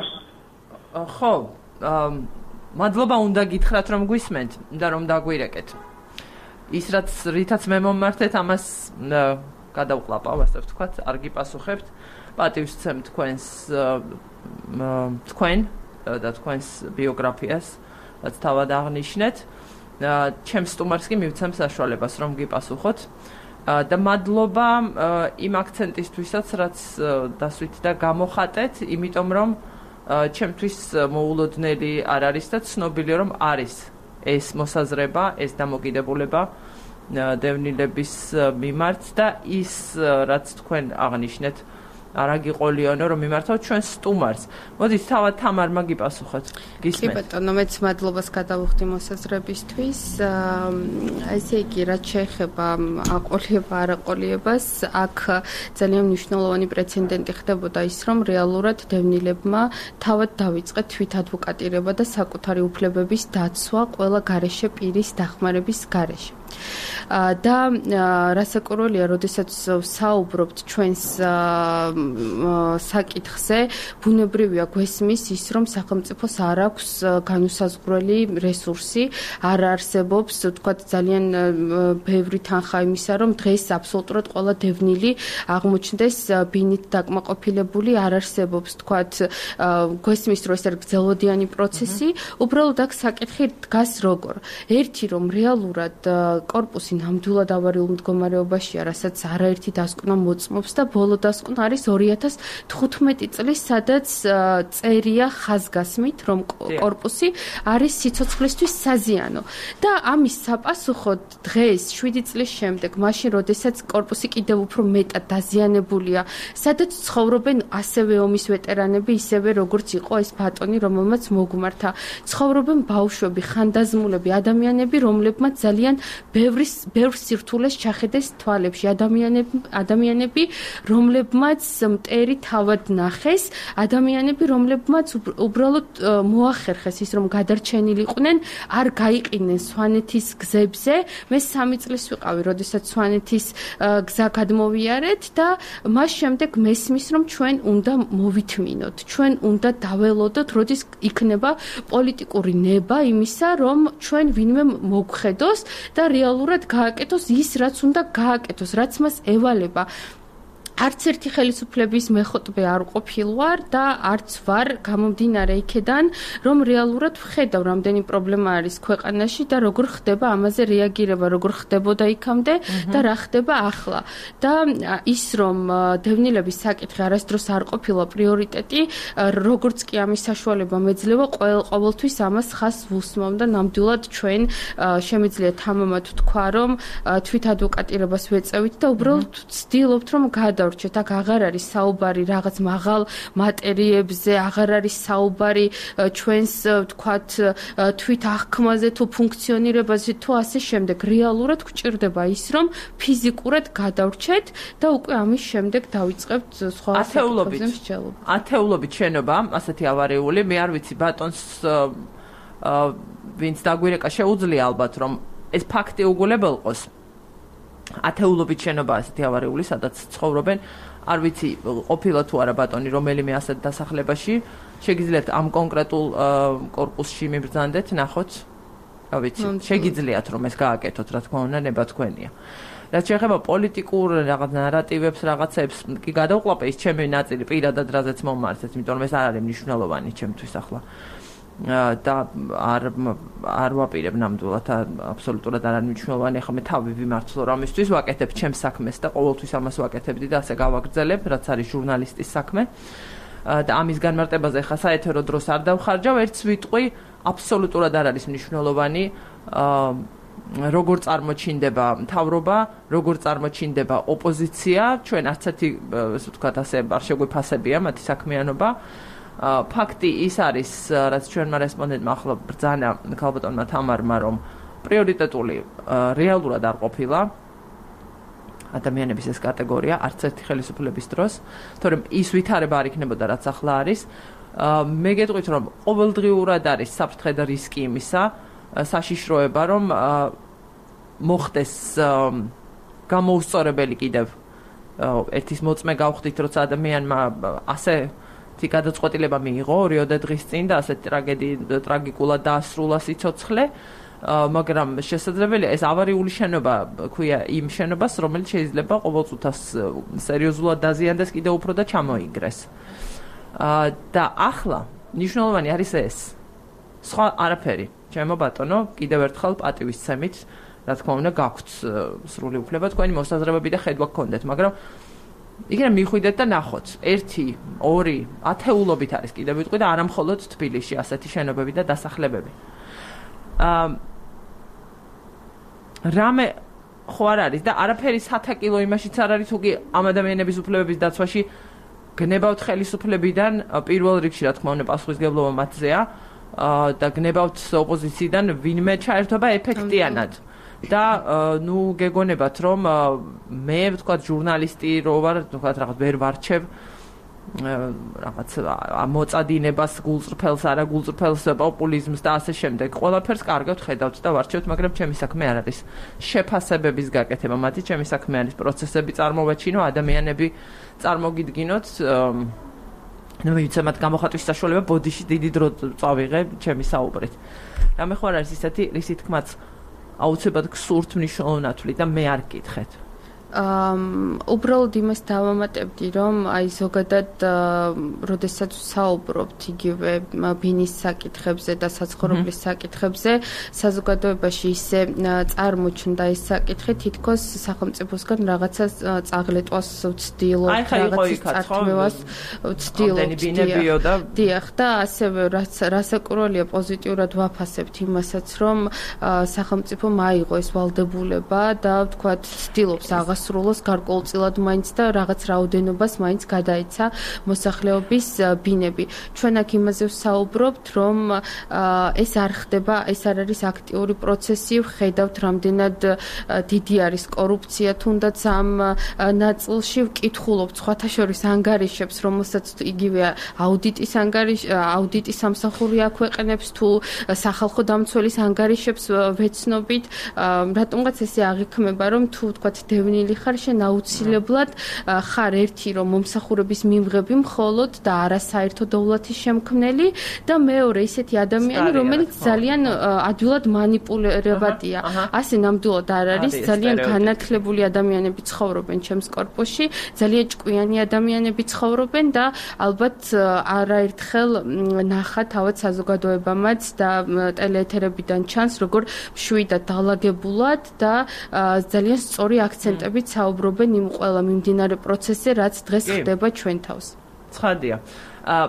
ხო, მადლობა უნდა გითხრათ რომ გვისმენთ და რომ დაგვირეკეთ. ის რაც რითაც მე მომმართეთ ამას გადავყლაპავ, ასე ვთქვათ, არ გიპასუხებთ. პატივს ვცემ თქვენს თქვენ და თქვენს ბიოგრაფიას, რაც თავად აღნიშნეთ. ჩემს სტუმარს კი მივცემ საშუალებას რომ გიპასუხოთ. და მადლობა იმ აქცენტისთვისაც, რაც დასვით და გამოხატეთ, იმიტომ რომ ჩემთვის მოულოდნელი არ არის და ცნობილია რომ არის ეს მოსაზრება, ეს დამოკიდებულება დევნილების მიმართ და ის რაც თქვენ აღნიშნეთ არა გიყოლიანო რომ მიმართავთ ჩვენ სტუმარს. მოდით თავად თამარმა გიპასუხოთ. კი ბატონო, მეც მადლობას გადავუხდი მოსაზრებისთვის. ესე იგი, რაც შეეხება აყოლება, არაყოლიებას, აქ ძალიან მნიშვნელოვანი პრეცედენტი ხდებოდა ის, რომ რეალურად დევნილებმა თავად დავიწყეთ თვით ადვოკატირება და საკუთარი უფლებების დაცვა ყველა გარეშე პირის დახმარების გარეშე. და რასაკვირველია, როდესაც საუბრობთ ჩვენს საკითხზე, ბუნებრივია გვესმის ის, რომ სახელმწიფოს არ აქვს განუსაზღვრელი რესურსი, არ არსებობს, თქვათ, ძალიან ბევრი თანხა იმისა, რომ დღეს აბსოლუტურად ყველა დევნილი აღმოჩნდეს ბინით დაკმაყოფილებული, არ არსებობს, თქვათ, გვესმის, რომ ეს არის გრძელვადიანი პროცესი, უბრალოდ აქ საკითხი დგას როგორ. ერთი, რომ რეალურად კორპუსი ნამდვილად ავარიულ მდგომარეობაშია, რასაც არაერთი დასკვნა მოწმობს და ბოლო დასკვნა არის ორი ათას თხუთმეტი წლის, სადაც წერია ხაზგასმით, რომ კორპუსი არის სიცოცხლისთვის საზიანო. და ამის sapasუხოდ დღეს შვიდი წლის შემდეგ, მაშინ როდესაც კორპუსი კიდევ უფრო მეტად დაზიანებულია, სადაც ცხოვრობენ ასევე ომის ვეტერანები, ისევე როგორც იყო ეს ბატონი, რომელმაც მოგმართა. ცხოვრობენ ბავშვები, ხანდაზმულები, ადამიანები, რომლებმაც ძალიან ბევრი ბევრ სირთულეს ჩახედეს თვალებში, ადამიანები, ადამიანები, რომლებმაც მტერი თავად ნახეს, ადამიანები, რომლებმაც უბრალოდ მოახერხეს ის, რომ გადარჩენილიყვნენ, არ გაიყინენ სვანეთის გზებზე. მე სამი წლის ვიყავი, როდესაც სვანეთის გზა გადმოვიარეთ და მას შემდეგ მესმის, რომ ჩვენ უნდა მოვითმინოთ, ჩვენ უნდა დაველოდოთ, როდის იქნება პოლიტიკური ნება იმისა, რომ ჩვენ ვინმე მოგხედოს და რეალურად გააკეთოს ის, რაც უნდა გააკეთოს, რაც მას ევალება. არც ერთი ხელისუფლების მეხოტბე არ ყოფილვარ და არც ვარ გამომდინარე იქედან, რომ რეალურად ვხედავ, რამდენი პრობლემა არის ქვეყანაში და როგორ ხდება ამაზე რეაგირება, როგორ ხდებოდა იქამდე და რა ხდება ახლა. და ის, რომ დევნილების საკითხი არასდროს არ ყოფილა პრიორიტეტი, როგორც კი ამის საშუალება მეძლევა, ყოველთვის ამას ხას ვუსმამ და ნამდვილად ჩვენ შემიძლია თამამად ვთქვა, რომ თვით ადვოკატირებას ვეწევით და უბრალოდ ვცდილობთ, რომ გადავ რჩეთ, აქ აღარ არის საუბარი რაღაც მაღალ მატერიებზე, აღარ არის საუბარი ჩვენს თქვათ თვით აღქმაზე თუ ფუნქციონირებაზე თუ ასე შემდეგ. რეალურად გვჭირდება ის, რომ ფიზიკურად გადავრჩეთ და უკვე ამის შემდეგ დავიწყებთ სხვა ათეულობით ათეულობით შენობა, ასეთი ავარიული, მე არ ვიცი ბატონს ვინც დაგვირეკა შეუძლია ალბათ რომ ეს ფაქტი უგულებელყოს. ათეულობით შენობა ასეთი ავარიული, სადაც ცხოვრობენ, არ ვიცი ყოფილა თუ არა ბატონი რომელიმე ასეთ დასახლებაში, შეგიძლიათ ამ კონკრეტულ კორპუსში მიბრძანდეთ, ნახოთ, რა ვიცი, შეგიძლიათ რომ ეს გააკეთოთ, რა თქმა უნდა, ნება თქვენია. რაც შეეხება პოლიტიკურ რაღაც ნარატივებს, რაღაცებს, კი გადავყლაპე ის ჩემი ნაწილი პირადად რაზეც მომმართეთ, იმიტომ რომ ეს არ არის მნიშვნელოვანი ჩემთვის ახლა. და არ არ ვაპირებ ნამდვილად აბსოლუტურად არ არის მნიშვნელოვანი. ახლა მე თავი ვიმართლო რამისთვის, ვაკეთებ ჩემს საქმეს და ყოველთვის ამას ვაკეთებდი და ასე გავაგრძელებ, რაც არის ჟურნალისტის საქმე. და ამის განმარტებაზე ახლა საეთერო დროს არ დავხარჯავ, ერთს ვიტყვი, აბსოლუტურად არ არის მნიშვნელოვანი როგორ წარმოჩინდება მთავრობა, როგორ წარმოჩინდება ოპოზიცია, ჩვენ არც ერთი, ასე ვთქვათ, ასე არ შეგვიფასებია მათი საქმიანობა. ფაქტი ის არის, რაც ჩვენმა რესპონდენტმა ახლა ბრძანა ქალბატონმა თამარმა, რომ პრიორიტეტული რეალურად არ ყოფილა ადამიანების ეს კატეგორია არც ერთი ხელისუფლების დროს, თორემ ის ვითარება არ იქნებოდა, რაც ახლა არის. მე გეტყვით, რომ ყოველდღიურად არის საფრთხე და რისკი იმისა, საშიშროება, რომ მოხდეს გამოუსწორებელი კიდევ ერთის მოწმე გავხდით, როცა ადამიანმა ასე თი გადაწყვეტილება მიიღო ორიოდე დღის წინ და ასეთ ტრაგიკულად დაასრულა სიცოცხლე, მაგრამ შესაძლებელია ეს ავარიული შენობა ქვია იმ შენობას, რომელიც შეიძლება ყოველწუთას სერიოზულად დაზიანდეს კიდევ უფრო და ჩამოიგრეს. და ახლა მნიშვნელოვანი არის ეს. სხვა არაფერი. ჩემო ბატონო, კიდევ ერთხელ პატივისცემით, რა თქმა უნდა, გაქვთ სრული უფლება, თქვენი მოსაზრებები და ხედვა გქონდეთ, მაგრამ იქნებ მიხვიდეთ და ნახოთ. ერთი, ორი, ათეულობით არის კიდევ ვიტყვი და არა მხოლოდ თბილისში ასეთი შენობები და დასახლებები. აა რამე ხო არ არის და არაფერი სათაკილო იმაშიც არ არის, თუ კი ამ ადამიანების უფლებების დაცვაში გნებავთ ხელისუფლებიდან პირველ რიგში, რა თქმა უნდა, პასუხისმგებლობა მათზეა და გნებავთ ოპოზიციიდან ვინმე ჩაერთვება ეფექტიანად. და ნუ გეგონებათ რომ მე ვთქვათ ჟურნალისტი რო ვარ, ვთქვათ რაღაც ვერ ვარჩევ რაღაც მოწადინებას, გულწრფელს, არა გულწრფელს, პოპულიზმს და ასე შემდეგ. ყველაფერს კარგად ხედავთ და ვარჩევთ, მაგრამ ჩემი საქმე არ არის შეფასებების გაკეთება, მათი ჩემი საქმე არის პროცესები წარმოვაჩინო, ადამიანები წარმოგიდგინოთ. ნუ ვიცემათ გამოხატვის საშუალება ბოდიში დიდი დრო წავიღე ჩემი საუბრით. რამე ხო არ არის ისეთი, რისი თქმაც აუცილებლად გსურთ მნიშვნელოვნათვლი და მე არ გკითხეთ. აა უბრალოდ იმას დავამატებდი, რომ აი ზოგადად როდესაც საუბრობთ იგივე ბინის საკითხებზე და საცხოვრებლის საკითხებზე, საზოგადოებაში ისე წარმოჩნდა ეს საკითხი, თითქოს სახელმწიფოსგან რაღაცა წაღლეტვას ვცდილობთ, რაღაცის წართმევას ვცდილობთ. დიახ, და ასევე რასაკურველია პოზიტიურად ვაფასებთ იმასაც, რომ სახელმწიფო მაიღო ეს ვალდებულება და ვთქვათ, ვცდილობს აღას სრულოს გარკვეულწილად მაინც და რაღაც რაოდენობას მაინც გადაეცა მოსახლეობის ბინები. ჩვენ აქ იმაზე ვსაუბრობთ, რომ ეს არ ხდება, ეს არ არის აქტიური პროცესი, ვხედავთ რამდენად დიდი არის კორუფცია, თუნდაც ამ ნაწილში ვკითხულობთ სხვათა შორის ანგარიშებს, რომელსაც იგივე აუდიტის ანგარიშ აუდიტის სამსახური აქვეყნებს თუ სახალხო დამცველის ანგარიშებს ვეცნობით, რატომღაც ესე აღიქმება, რომ თუ ვთქვათ დევნილი ხარ შენ აუცილებლად ხარ ერთი რომ მომსახურების მიმღები მხოლოდ და არა საერთო დოვლათის შემქმნელი და მეორე ისეთი ადამიანი რომელიც ძალიან ადვილად манипуლირებადია. ასე ნამდვილად არ არის, ძალიან განათლებული ადამიანები ცხოვრობენ ჩემს კორპუსში, ძალიან ჭკვიანი ადამიანები ცხოვრობენ და ალბათ არაერთხელ ნახა თავად საზოგადოებამაც და ტელეეთერებიდან ჩანს როგორ მშვიდად დალაგებულად და ძალიან სწორი აქცენტები საუბრობენ იმ ყველა მიმდინარე პროცესზე, რაც დღეს ხდება ჩვენ თავს. ცხადია. აა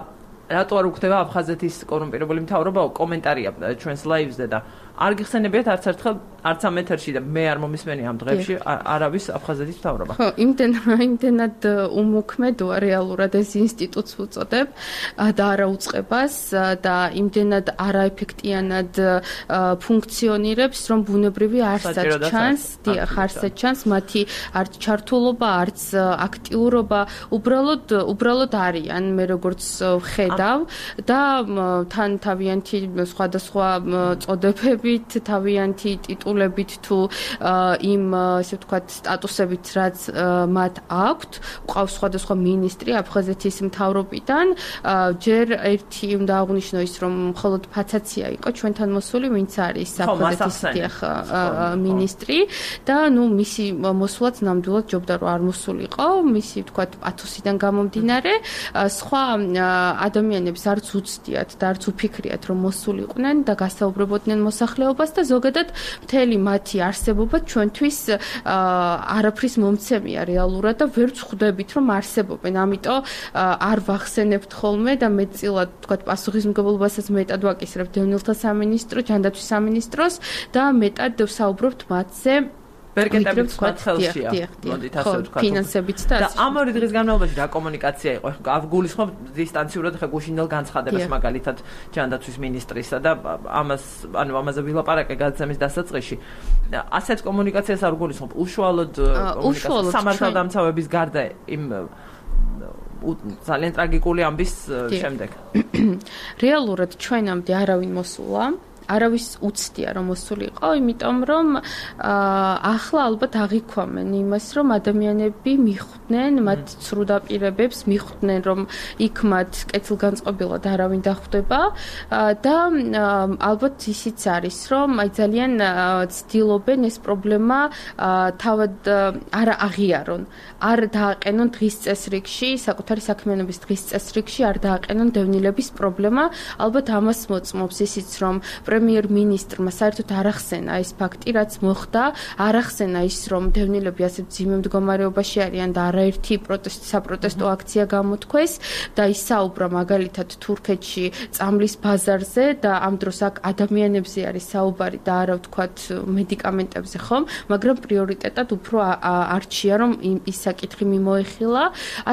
რატო არ უხდება აფხაზეთის კორუმპირებული მთავრობა? კომენტარია ჩვენს ლაივზე და არ გიხსენებიათ არც ერთხელ არც ამ ეთერში და მე არ მომისმენი ამ დღეებში არავის აფხაზეთის მთავრობა. ხო, იმდენად იმდენად უმოქმედოა რეალურად ეს ინსტიტუტს უწოდებ და არაუწყებას და იმდენად არაეფექტიანად ფუნქციონირებს, რომ ბუნებრივი არსად ჩანს, დიახ, არსად ჩანს მათი არც ჩართულობა, არც აქტიურობა, უბრალოდ უბრალოდ არიან, მე როგორც ვხედავ და თან თავიანთი სხვადასხვა წოდებებით, თავიანთი ტიტულებით თუ იმ ესე ვთქვათ სტატუსებით, რაც მათ აქვთ, ყავს სხვადასხვა მინისტრი აფხაზეთის მთავრობიდან, ჯერ ერთი უნდა აღვნიშნო ის, რომ მხოლოდ ფაცაცია იყო ჩვენთან მოსული, ვინც არის აფხაზეთის დიახ მინისტრი და ნუ მისი მოსვლაც ნამდვილად ჯობდა რომ არ მოსულიყო, მისი ვთქვათ პათოსიდან გამომდინარე, სხვა ადამიანებს არც უცდიათ და არც უფიქრიათ რომ მოსულიყვნენ და გასაუბრებოდნენ მოსახლეობას და ზოგადად მთელი მათი არსებობა ჩვენთვის არაფრის მომცემია რეალურად და ვერ ვხვდებით რომ არსებობენ. ამიტომ არ ვახსენებთ ხოლმე და მეტწილად ვთქვათ პასუხისმგებლობასაც მეტად ვაკისრებთ დევნილთა სამინისტროს, ჯანდაცვის სამინისტროს და მეტად ვსაუბრობთ მათზე. ბერკეტებიც თქვათ ხელშია. მოდით ასე ვთქვათ. ფინანსებით და და ამ ორი დღის განმავლობაში რა კომუნიკაცია იყო? გულისხმობ დისტანციურად ხე გუშინდელ განცხადებას მაგალითად ჯანდაცვის მინისტრისა და ამას ანუ ამაზე ვილაპარაკე გადაცემის დასაწყისში. ასეთ კომუნიკაციას არ გულისხმობ. უშუალოდ კომუნიკაცია სამართალდამცავების გარდა იმ ძალიან ტრაგიკული ამბის შემდეგ. რეალურად ჩვენამდე არავინ მოსულა არავის უცდია რომ მოსულიყო, იმიტომ რომ ახლა ალბათ აღიქვამენ იმას, რომ ადამიანები მიხვდნენ მათ ცრუდაპირებებს, მიხვდნენ რომ იქ მათ კეთილგანწყობილად არავინ დახვდება და ალბათ ისიც არის, რომ აი ძალიან ცდილობენ ეს პრობლემა თავად არ აღიარონ, არ დააყენონ დღის წესრიგში, საკუთარი საქმიანობის დღის წესრიგში არ დააყენონ დევნილების პრობლემა, ალბათ ამას მოწმობს ისიც, რომ პრემიერ-მინისტრმა საერთოდ არ ახსენა ეს ფაქტი, რაც მოხდა, არ ახსენა ის, რომ დევნილები ასე მძიმე მდგომარეობაში არიან და არაერთი პროტესტი საპროტესტო აქცია გამოთქვეს და ისაუბრა მაგალითად თურქეთში წამლის ბაზარზე და ამ დროს აქ ადამიანებზე არის საუბარი და არა ვთქვათ მედიკამენტებზე ხომ, მაგრამ პრიორიტეტად უფრო არჩია რომ ის საკითხი მიმოეხილა,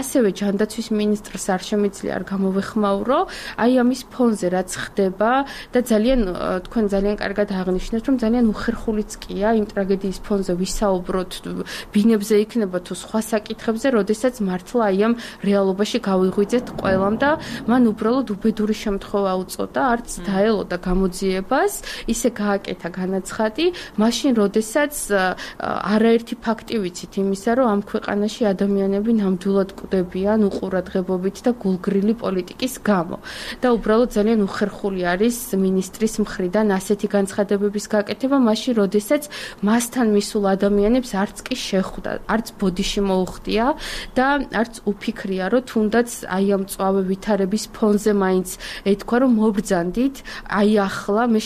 ასევე ჯანდაცვის მინისტრს არ შემიძლია არ გამოვეხმაურო, აი ამის ფონზე რაც ხდება და ძალიან თქვენ ძალიან კარგად აღნიშნეთ, რომ ძალიან უხერხულიც კია იმ ტრაგედიის ფონზე ვისაუბროთ, ბინებზე იქნება თუ სხვა საკითხებზე, როდესაც მართლა აი ამ რეალობაში გავიღვიძეთ ყველამ და მან უბრალოდ უბედური შემთხვევა უწოდა, არც დაელოდა გამოძიებას, ისე გააკეთა განაცხადი, მაშინ როდესაც არაერთი ფაქტი ვიცით იმისა, რომ ამ ქვეყანაში ადამიანები ნამდვილად კვდებიან უყურადღებობით და გულგრილი პოლიტიკის გამო. და უბრალოდ ძალიან უხერხული არის მინისტრის მხრიდან ასეთი განცხადებების გაკეთება, მაშინ როდესაც მასთან მისულ ადამიანებს არც კი შეხვდა, არც ბოდიში მოუხდია და არც უფიქრია, რომ თუნდაც აი ამ მწვავე ვითარების ფონზე მაინც ეთქვა, რომ მობრძანდით, აი ახლა მე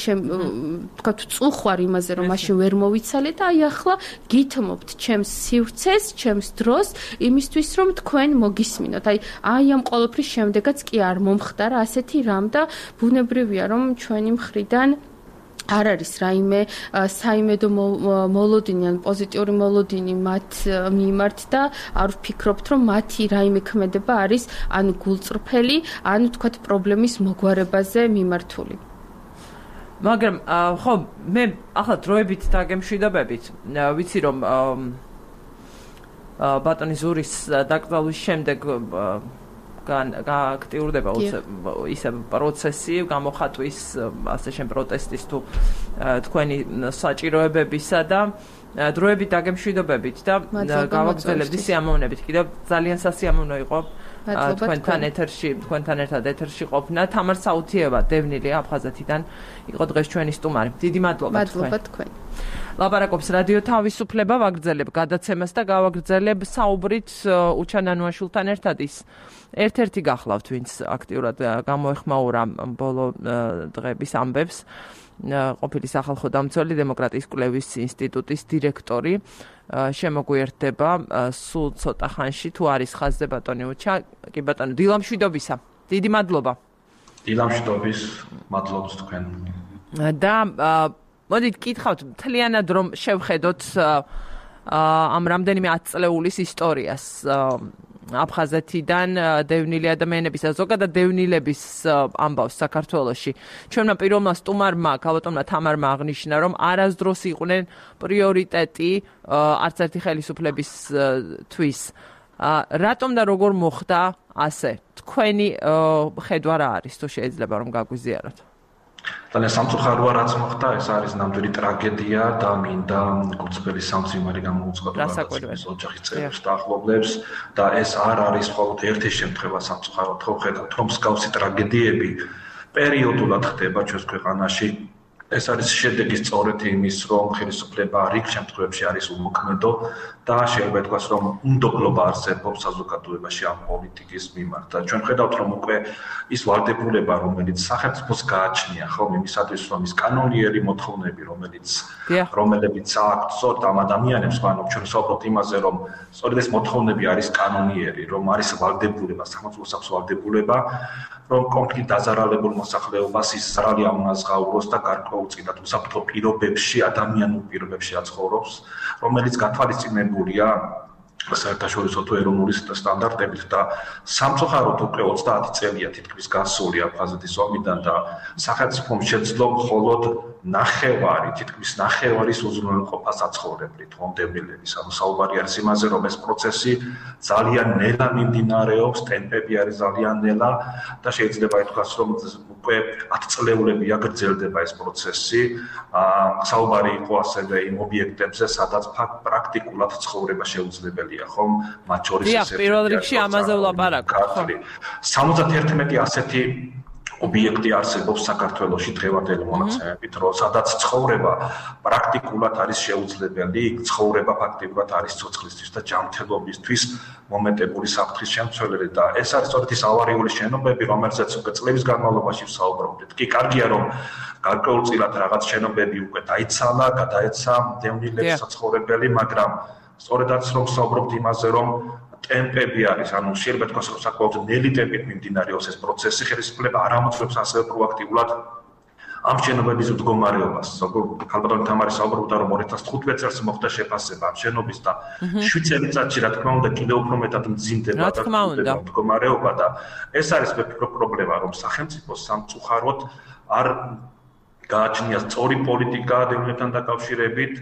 თქვათ წუხვარ იმაზე, რომ მაშინ ვერ მოვიცალე და აი ახლა გითმობთ ჩემს სივრცეს, ჩემს დროს, იმისთვის რომ თქვენ მოგისმინოთ. აი აი ამ ყოველფრის შემდეგაც კი არ მომხდარა ასეთი რამ და ბუნებრივია, რომ ჩვენი მხრიდან არ არის რაიმე საიმედო მოლოდინი ან პოზიტიური მოლოდინი მათ მიმართ და არ ვფიქრობთ, რომ მათი რაიმე ქმედება არის ან გულწრფელი, ან თქვათ პრობლემის მოგვარებაზე მიმართული. მაგრამ ხო, მე ახლა დროებით დაგემშვიდობებით, ვიცი რომ ბატონი ზურის დაკრძალვის შემდეგ გააქტიურდება ისე პროცესი გამოხატვის ასე შენ პროტესტის თუ თქვენი საჭიროებებისა და დროებით დაგემშვიდობებით და გავაგრძელებდი სიამოვნებით. კიდევ ძალიან სასიამოვნო იყო თქვენთან ეთერში, თქვენთან ერთად ეთერში ყოფნა. თამარ საუთიევა, დევნილი აფხაზეთიდან იყო დღეს ჩვენი სტუმარი. დიდი მადლობა თქვენ. მადლობა თქვენ. ლაპარაკობს რადიო თავისუფლება, ვაგრძელებ გადაცემას და გავაგრძელებ საუბრით უჩანანუაშვილთან ერთად ის ერთ-ერთი გახლავთ, ვინც აქტიურად გამოეხმაურა ბოლო დღეების ამბებს, ყოფილი სახალხო დამცველი დემოკრატიის კვლევის ინსტიტუტის დირექტორი. შემოგვიერთდება სულ ცოტა ხანში, თუ არის ხაზზე ბატონი უჩა, კი ბატონო, დილამშვიდობისა. დიდი მადლობა. დილამშვიდობის, მადლობს თქვენ. და მოდით გითხავთ, მთლიანად რომ შევხედოთ ამ რამდენიმე ათწლეულის ისტორიას აფხაზეთიდან დევნილი ადამიანების და ზოგადად დევნილების ამბავს საქართველოში. ჩვენმა პირველმა სტუმარმა, ქალბატონმა თამარმა აღნიშნა, რომ არასდროს იყვნენ პრიორიტეტი არც ერთი ხელისუფლების თვის. რატომ და როგორ მოხდა ასე? თქვენი ხედვა რა არის, თუ შეიძლება რომ გაგვიზიაროთ? ძალიან სამწუხაროა რაც მოხდა, ეს არის ნამდვილი ტრაგედია და მინდა გულწრფელი სამძიმარი გამოუცხადო ოჯახის წევრებს და ახლობლებს და ეს არ არის მხოლოდ ერთი შემთხვევა სამწუხაროდ, ხო ხედავთ, რომ მსგავსი ტრაგედიები პერიოდულად ხდება ჩვენს ქვეყანაში. ეს არის შედეგი სწორედ იმის, რომ ხელისუფლება რიგ შემთხვევებში არის უმოქმედო და შეიძლება ითქვას, რომ უნდობლობა არსებობს საზოგადოებაში ამ პოლიტიკის მიმართ. და ჩვენ ხედავთ, რომ უკვე ის ვალდებულება, რომელიც სახელმწიფოს გააჩნია, ხო, იმისათვის, რომ ის კანონიერი მოთხოვნები, რომელიც რომელებიც აქვს სწორედ ამ ადამიანებს, ანუ ჩვენ ვსაუბრობთ იმაზე, რომ სწორედ ეს მოთხოვნები არის კანონიერი, რომ არის ვალდებულება, სახელმწიფოს აქვს ვალდებულება, რომ კონფლიქტ დაზარალებულ მოსახლეობას ის ზრალი ამონაზღაუროს და გარკვეულწილად უსაფრთხო პირობებში, ადამიანურ პირობებში აცხოვრობს, რომელიც გათვალისწინებულია საერთაშორისო თუ ეროვნული სტანდარტებით და სამწუხაროდ უკვე ოცდაათი წელია თითქმის გასული აფხაზეთის ომიდან და სახელმწიფომ შეძლო მხოლოდ ნახევარი, თითქმის ნახევარის უზრუნველყოფა საცხოვრებლით, ხომ დევნილების. ანუ საუბარი არის იმაზე, რომ ეს პროცესი ძალიან ნელა მიმდინარეობს, ტემპები არის ძალიან ნელა და შეიძლება ითქვას, რომ უკვე ათი წლეულები აგრძელდება ეს პროცესი. საუბარი იყო ასევე იმ ობიექტებზე, სადაც პრაქტიკულად ცხოვრება შეუძლებელია, ხომ? მათ შორის ეს პირველ რიგში ამაზე ვლაპარაკობ, ხო? სამოცდაერთმეტი ასეთი ობიექტი არსებობს საქართველოში დღევანდელი მონაცემებით, რომ სადაც ცხოვრება პრაქტიკულად არის შეუძლებელი, იქ ცხოვრება ფაქტიურად არის ცოცხლისთვის და ჯანმრთელობისთვის მომეტებული საფრთხის შემცველელი და ეს არის სწორედ ის ავარიული შენობები, რომელზეც უკვე წლების განმავლობაში ვსაუბრობდით. კი, კარგია, რომ გარკვეულწილად რაღაც შენობები უკვე დაიცალა, გადაეცა დევნილებს საცხოვრებელი, მაგრამ სწორედაც რომ ვსაუბრობთ იმაზე, რომ ტემპები არის, ანუ შეიძლება თქვას, რომ საკმაოდ ნელი ტემპით მიმდინარეობს ეს პროცესი, ხელისუფლება არ ამოწმებს ასევე პროაქტიულად ამ შენობების მდგომარეობას. ქალბატონი თამარი საუბრობდა, რომ ორი ათას თხუთმეტ წელს მოხდა შეფასება ამ შენობის და შვიდ წელიწადში, რა თქმა უნდა, კიდევ უფრო მეტად მძიმდება და მდგომარეობა და ეს არის მე ვფიქრობ პრობლემა, რომ სახელმწიფოს სამწუხაროდ არ გააჩნია სწორი პოლიტიკა დევნილებთან დაკავშირებით.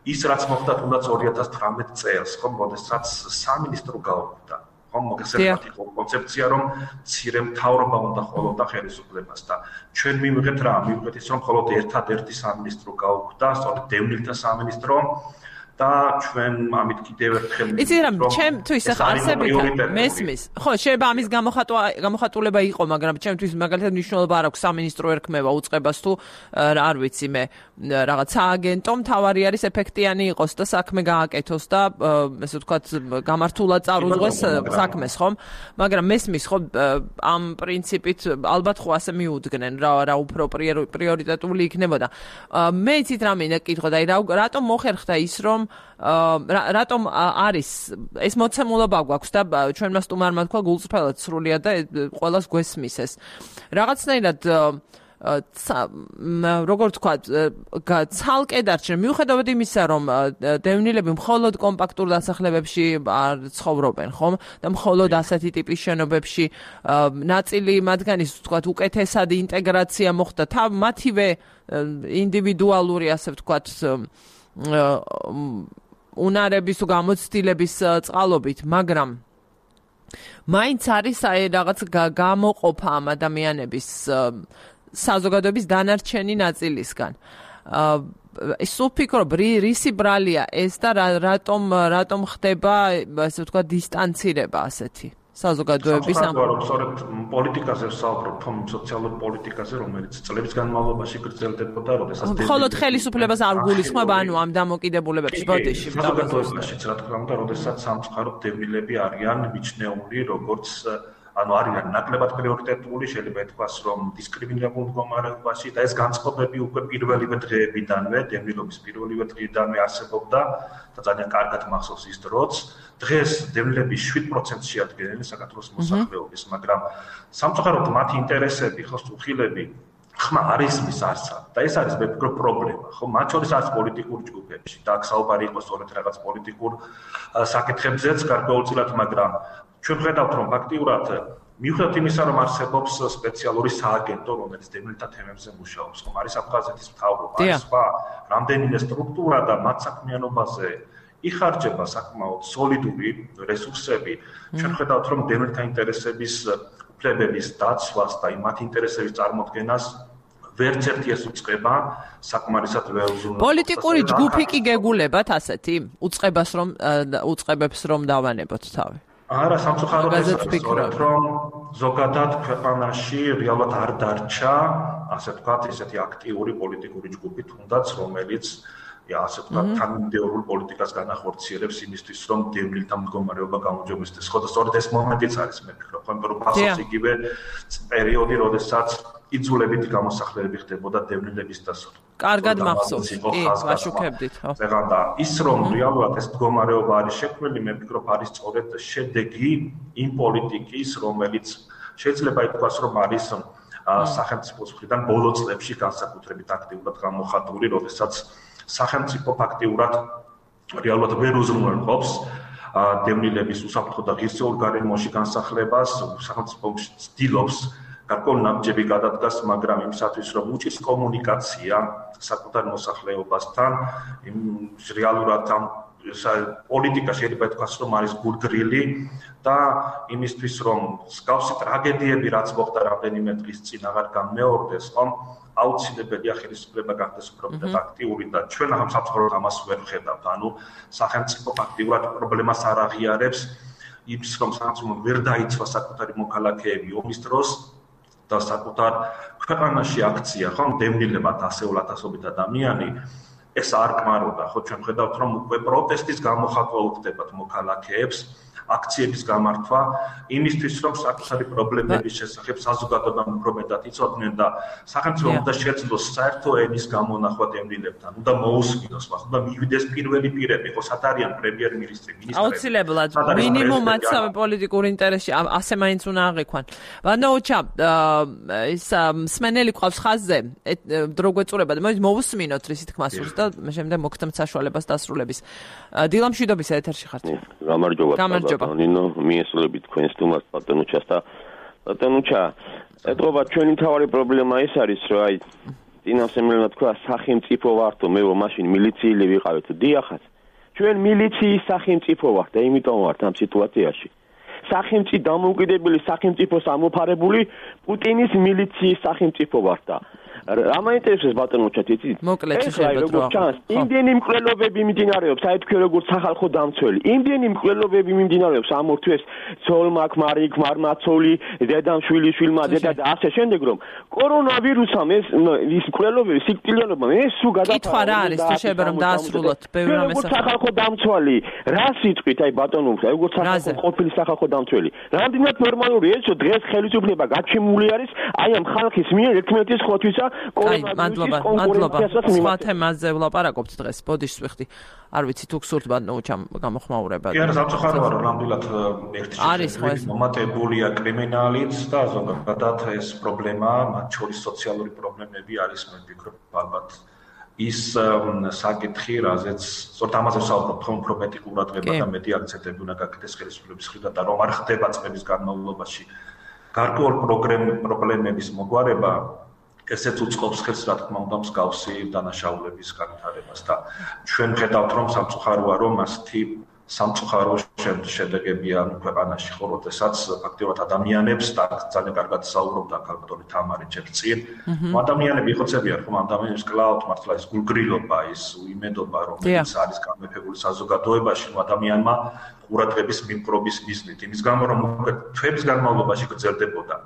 ის რაც მოხდა თუნდაც ორი ათას თვრამეტ წელს, ხომ, როდესაც სამინისტრო გაუქმდა. ხომ, მოგესალმებით იყო კონცეფცია, რომ მცირე მთავრობა უნდა ხოლოდა ხელისუფლებას და ჩვენ მივიღეთ რა, მივიღეთ ის, რომ მხოლოდ ერთადერთი სამინისტრო გაუქმდა, სწორედ დევნილთა სამინისტრო და ჩვენ ამით კიდევ ერთხელ იცი რა, ჩემთვის ახლა არსებითად მესმის. ხო, შეიძლება ამის გამოხატულება იყო, მაგრამ ჩემთვის მაგალითად მნიშვნელობა არ აქვს სამინისტრო ერქმევა უწყებას თუ არ ვიცი მე რაღაც სააგენტო მთავარი არის ეფექტიანი იყოს და საქმე გააკეთოს და ესე ვთქვათ გამართულად წარუძღვეს საქმეს, ხომ? მაგრამ მესმის ხო ამ პრინციპით ალბათ ხო ასე მიუძგნენ რა რა უფრო პრიორიტეტული იქნებოდა. მე იცით რა მინდა კითხო და რატომ მოხერხდა ის რომ რატომ არის ეს მოცემულობა გვაქვს და ჩვენმა სტუმარმა თქვა გულწრფელად სრულიად და ყველას გვესმის ეს. რაღაცნაირად როგორ თქვა ცალკე დარჩნენ მიუხედავად იმისა რომ დევნილები მხოლოდ კომპაქტურ დასახლებებში არ ცხოვრობენ ხომ და მხოლოდ ასეთი ტიპის შენობებში ნაწილი მათგანის თქვა უკეთესად ინტეგრაცია მოხდა მათივე ინდივიდუალური ასე ვთქვათ უნარების თუ გამოცდილების წყალობით, მაგრამ მაინც არის აი რაღაც გამოყოფა ამ ადამიანების საზოგადოების დანარჩენი ნაწილისგან. ის ვფიქრობ, რისი ბრალია ეს და რატომ რატომ ხდება ასე ვთქვათ დისტანცირება ასეთი საზოგადოების ამ სწორედ პოლიტიკაზე ვსაუბრობ, თომ სოციალურ პოლიტიკაზე, რომელიც წლების განმავლობაში გრძელდებოდა, როდესაც მხოლოდ ხელისუფლებას არ გულისხმობ, ანუ ამ დამოკიდებულებებში ბოდიში საზოგადოებაშიც, რა თქმა უნდა, როდესაც სამწუხაროდ დევნილები არიან მიჩნეული როგორც ანუ არიან ნაკლებად პრიორიტეტული, შეიძლება ითქვას, რომ დისკრიმინირებულ მდგომარეობაში და ეს განწყობები უკვე პირველივე დღეებიდანვე, დევნილობის პირველივე დღიდან არსებობდა და ძალიან კარგად მახსოვს ის დროც. დღეს დევნილები შვიდ პროცენტს შეადგენენ საქართველოს მოსახლეობის, მაგრამ სამწუხაროდ მათი ინტერესები, ხო, სტუხილები ხმა არის მის არცა და ეს არის მე ვფიქრობ პრობლემა, ხო, მათ შორის არის პოლიტიკური ჯგუფებში და აქ საუბარი იყო სწორედ რაღაც პოლიტიკურ საკითხებზეც გარკვეულწილად, მაგრამ ჩვენ ვხედავთ, რომ ფაქტიურად მიუხედავად იმისა, რომ არსებობს სპეციალური სააგენტო, რომელიც დევნილთა თემებზე მუშაობს, ხომ არის აფხაზეთის მთავრობა, არის სხვა რამდენიმე სტრუქტურა და მათ საქმიანობაზე იხარჯება საკმაოდ სოლიდური რესურსები. ჩვენ ვხედავთ, რომ დევნილთა ინტერესების უფლებების დაცვას და მათ ინტერესების წარმოქმნას ვერც ერთი ეს უწყება საკმარისად ვერ უზრუნველყოფს. პოლიტიკური ჯგუფი კი გეგულებათ ასეთი უწყებას რომ უწყებებს რომ დავანებოთ თავი. არა, სამწუხაროდ ეს სწორედ რომ ზოგადად ქვეყანაში რეალურად არ დარჩა, ასე ვთქვათ, ესეთი აქტიური პოლიტიკური ჯგუფი, თუნდაც რომელიც ასე ვთქვათ, თანამედროვე პოლიტიკას განახორციელებს იმისთვის, რომ დევნილთა მდგომარეობა გამოჯობესდეს. ხო და სწორედ ეს მომენტიც არის, მე ვფიქრობ, რომ ფასობს იგივე პერიოდი, როდესაც იძულებით გამოსახლებები ხდებოდა დევნილების დასო. კარგად მახსოვს. კი, ვაშუქებდით, ხო. ზეგანდა ის რომ რეალურად ეს მდგომარეობა არის შექმნილი, მე ვფიქრობ, არის სწორედ შედეგი იმ პოლიტიკის, რომელიც შეიძლება ითქვას, რომ არის სახელმწიფოს მხრიდან ბოლო წლებში განსაკუთრებით აქტიურად გამოხატული, როდესაც სახელმწიფო ფაქტიურად რეალურად ვერ უზრუნველყოფს დევნილების უსაფრთხო და ღირსეულ გარემოში განსახლებას, სახელმწიფო ცდილობს გარკვეული ნაბიჯები გადადგას, მაგრამ იმისათვის რომ უჭირს კომუნიკაცია საკუთარ მოსახლეობასთან, იმ რეალურად ამ პოლიტიკა შეიძლება ითქვას რომ არის გულგრილი და იმისთვის რომ მსგავსი ტრაგედიები რაც მოხდა რამდენიმე დღის წინ აღარ გამეორდეს, ხომ აუცილებელია ხელისუფლება გახდეს უფრო მეტად აქტიური და ჩვენ ამ სამწუხაროდ ამას ვერ ვხედავთ. ანუ სახელმწიფო აქტიურად პრობლემას არ აღიარებს, იმის რომ სახელმწიფო ვერ დაიცვა საკუთარი მოქალაქეები ომის დროს და საკუთარ ქვეყანაში აქცია, ხომ დევნილება ასეულ ათასობით ადამიანი ეს არ კმაროდა, ხო ჩვენ ხედავთ რომ უკვე პროტესტის გამოხატვა უხდებათ მოქალაქეებს, აქციების გამართვა, იმისთვის რომ საკუთარი პრობლემების შესახებ საზოგადოებამ უფრო მეტად იცოდნენ და სახელმწიფომ უნდა შეძლოს საერთო ენის გამონახვა დევნილებთან, უნდა მოусმინოს მას, უნდა მივიდეს პირველი პირები, ხო სად არიან პრემიერ-მინისტრი, მინისტრები. აუცილებლად, მინიმუმად სამი პოლიტიკური ინტერესი ასე მაინც უნდა აღიქვან. ვანოუჩა, ის მსმენელი ყავს ხაზზე, დრო გვეწურება და მოусმინოთ რის თქმა სურს და შემდეგ მოგცემთ საშუალებას დასრულების. დილა მშვიდობის ეთერში ხართ. გამარჯობა. გამარჯობა. ნინო მიესწრებით თქვენს თუმას პატენუჩას და პატენუჩა ეთყობა ჩვენი მთავარი პრობლემა ის არის რომ აი წინასემელმა თქვა სახელმწიფო ვართო მე მაშინ მილიციელი ვიყავით დიახაც ჩვენ მილიციის სახელმწიფო ვართ და იმიტომ ვართ ამ სიტუაციაში სახელმწიფო დამოუკიდებელი სახელმწიფოს ამოფარებული პუტინის მილიციის სახელმწიფო ვართ და რა მაინტერესებს ბატონოჩათ იცით? მოკლედ შეიძლება რომ იმდენი მკვლელობები მიმდინარეობს, აი თქვენ როგორც სახალხო დამცველი. იმდენი მკვლელობები მიმდინარეობს ამ ორ თვეს ცოლმა, ქმარი, ქმარმაცოლი, დედამშვილი, შვილმა, დედა და ასე შემდეგ რომ კორონავირუსამ ეს ის მკვლელობები სიკვდილიანობა ეს სულ გადაფარა. კითხვა რა არის თუ შეიძლება რომ დაასრულოთ ბევრი რამე სახალხო დამცველი. რა სიტყვით აი ბატონო, აი როგორც სახალხო ყოფილი სახალხო დამცველი. რამდენად ნორმალური ეს რომ დღეს ხელისუფლება გაჩემული არის აი ამ ხალხის მიერ ერთმანეთის ხოთვისა აი, მადლობა, მადლობა. სხვა თემაზე ვლაპარაკობთ დღეს. ბოდიშს ვიხდი. არ ვიცი თუ გსურთ ბატონოჩამ გამოხმაურება. კი, არა, სამწუხაროა რომ ნამდვილად ერთი შეხედვით მომატებულია კრიმინალით და ზოგადად ეს პრობლემა, მათ შორის სოციალური პრობლემები არის, მე ვფიქრობ, ალბათ ის საკითხი, რაზეც სწორედ ამაზე ვსაუბრობთ, რომ უფრო მეტი ყურადღება და მეტი აქცენტები უნდა გაკეთდეს ხელისუფლების მხრიდან და რომ არ ხდება წლების განმავლობაში გარკვეულ პრობლემების მოგვარება ესეც უწყობს ხელს რა თქმა უნდა მსგავსი დანაშაულების განვითარებას და ჩვენ ხედავთ რომ სამწუხაროა რომ ასეთი სამწუხარო შედეგებია ქვეყანაში ხო როდესაც ფაქტიურად ადამიანებს და ძალიან კარგად საუბრობდა კალკტონი თამარი ჩერცი ადამიანები ხოცებიან რომ ადამიანებს კლაუდ მართლა ის გულგრილობა ის უიმედობა რომელიც არის გამეფებული საზოგადოებაში ადამიანმა ყურადღების მიპყრობის მიზნით იმის გამო რომ თვეების განმავლობაში გრძელდებოდა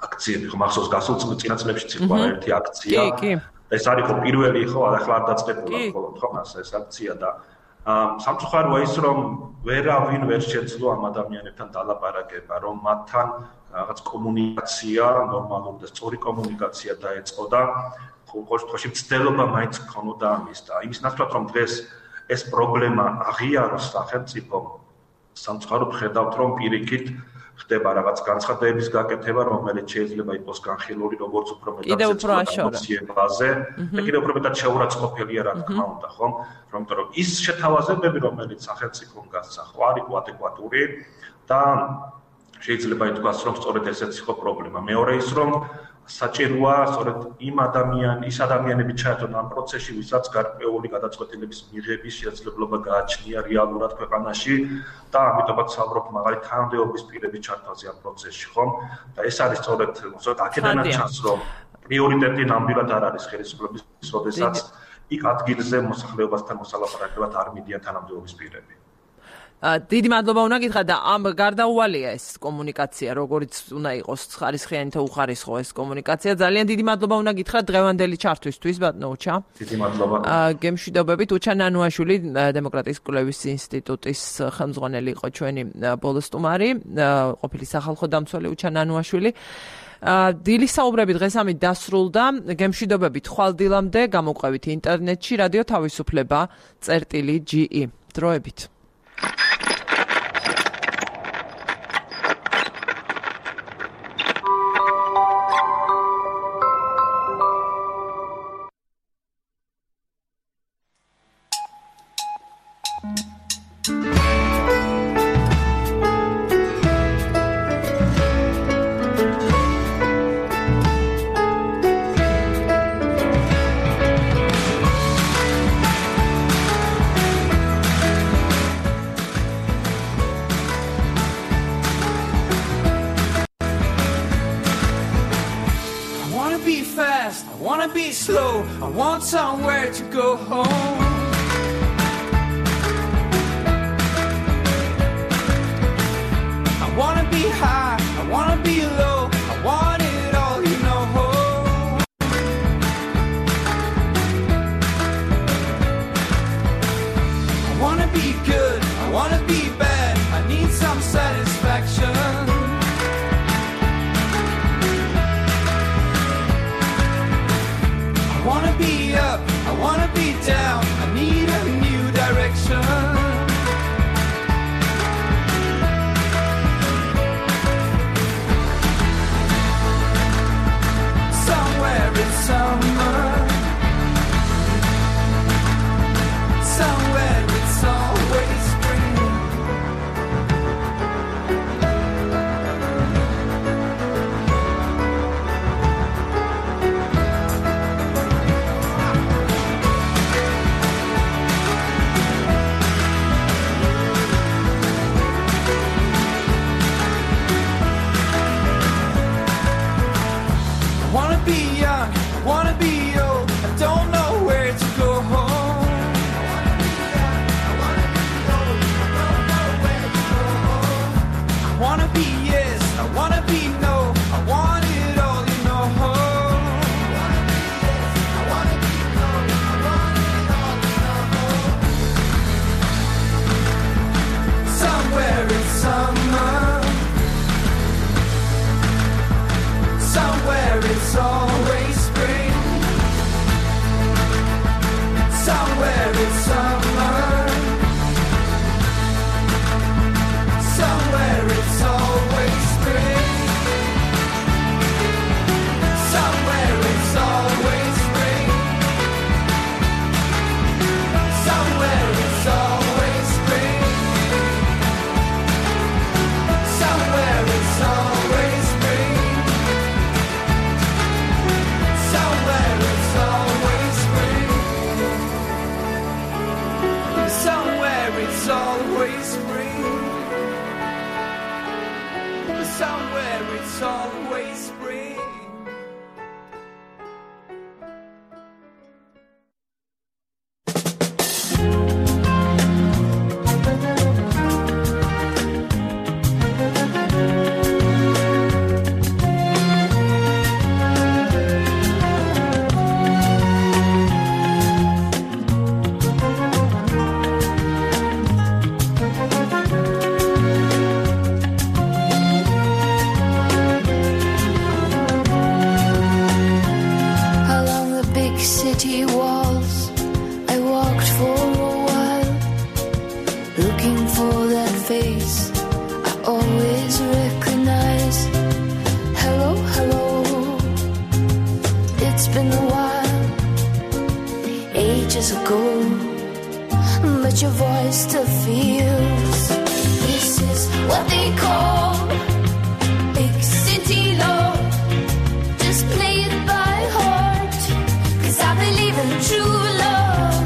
აქციები ხო მახსოვს გასულ წინაწლებში იყო ერთი აქცია ეს არის ხო პირველი ხო ახლა არ დაწყებულა მხოლოდ ხო მას ეს აქცია და სამწუხაროა ის რომ ვერავინ ვერ შეძლო ამ ადამიანებთან დალაპარაკება რომ მათთან რაღაც კომუნიკაცია ნორმალური და სწორი კომუნიკაცია დაეწყო და ყოველ შემთხვევაში მცდელობა მაინც ქონოდა ამის და იმის ნაცვლად რომ დღეს ეს პრობლემა აღიაროს სახელმწიფომ სამწუხაროდ ხედავთ რომ პირიქით ხდება რაღაც განცხადებების გაკეთება, რომელიც შეიძლება იყოს განხილული, როგორც უფრო მეტად ემოციებაზე, და კიდევ უფრო მეტად შეურაცხყოფელია, რა თქმა უნდა, ხომ? იმიტომ რომ ის შეთავაზებები, რომელიც სახელმწიფომ გასცა, ხო არ იყო ადეკვატური და შეიძლება ითქვას, რომ სწორედ ესეც იყო პრობლემა. მეორე ის, რომ საჭიროა სწორედ იმ ადამიან, ის ადამიანები ჩაერთონ ამ პროცესში, ვისაც გარკვეული გადაწყვეტილების მიღების შესაძლებლობა გააჩნია რეალურად ქვეყანაში და ამიტომაც საუბრობ მაგალითად თანამდებობის პირების ჩართვაზე ამ პროცესში, ხომ? და ეს არის სწორედ სწორედ აქედანაც ჩანს, რომ პრიორიტეტი ნამდვილად არ არის ხელისუფლების, როდესაც იქ ადგილზე მოსახლეობასთან მოსალაპარაკებლად არ მიდიან თანამდებობის პირები. დიდი მადლობა უნდა გითხრათ და ამ გარდაუვალია ეს კომუნიკაცია, როგორც უნდა იყოს ხარისხიანი თუ უხარისხო ეს კომუნიკაცია. ძალიან დიდი მადლობა უნდა გითხრათ დღევანდელი ჩართვისთვის, ბატონოჩა. დიდი მადლობა. გემშვიდობებით უჩა ნანუაშვილი, დემოკრატიის კვლევის ინსტიტუტის ხელმძღვანელი იყო ჩვენი ბოლო სტუმარი, ყოფილი სახალხო დამცველი უჩა ნანუაშვილი. დილის საუბრები დღეს ამით დასრულდა. გემშვიდობებით ხვალ დილამდე გამოყვებით ინტერნეტში რადიო თავისუფლება წერტილი ჯი ი. დროებით. slow. I want somewhere to go home. I wanna be high, I wanna be low, I want it all, you know. I wanna be good, I wanna be bad, I need some satisfaction. I wanna be up, I wanna be down, I need a new direction. Somewhere in summer, somewhere it's always spring. I wanna be young, I wanna be old, I don't know where to go home. I wanna be yes, I wanna be no, I want it all, you know. Somewhere in summer, somewhere it's always spring. Somewhere it's summer, somewhere it's always spring. Somewhere it's always spring. Somewhere it's always spring. Somewhere it's always spring. Somewhere it's always spring. Somewhere it's always spring. Somewhere it's always spring. Along the big city walls, I walked for a while, looking for that face I always recognize. Hello, hello, it's been a while, ages ago, but your voice still feels. This is what they call big city love. Just play it by heart, 'cause I believe in true love.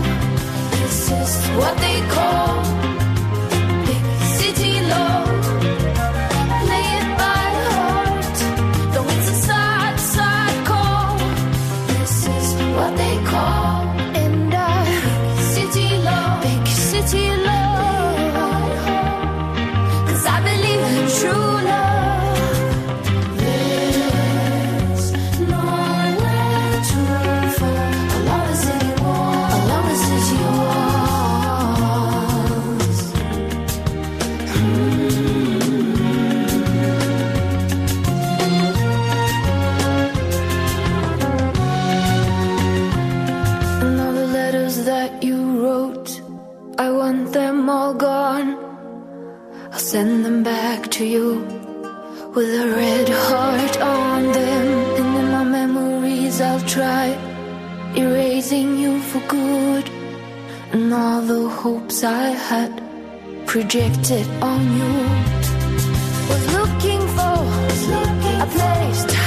This is what they call big city love. Play it by heart, though it's a sad, sad call. This is what they call and I big city love, big city love. 'Cause I believe in true love. There's nowhere to fall along the city wall, along the city walls. And all the letters that you wrote, I want them all gone. I'll send them back to you with a red heart on them. And in my memories I'll try erasing you for good, and all the hopes I had projected on you. Was looking for a place to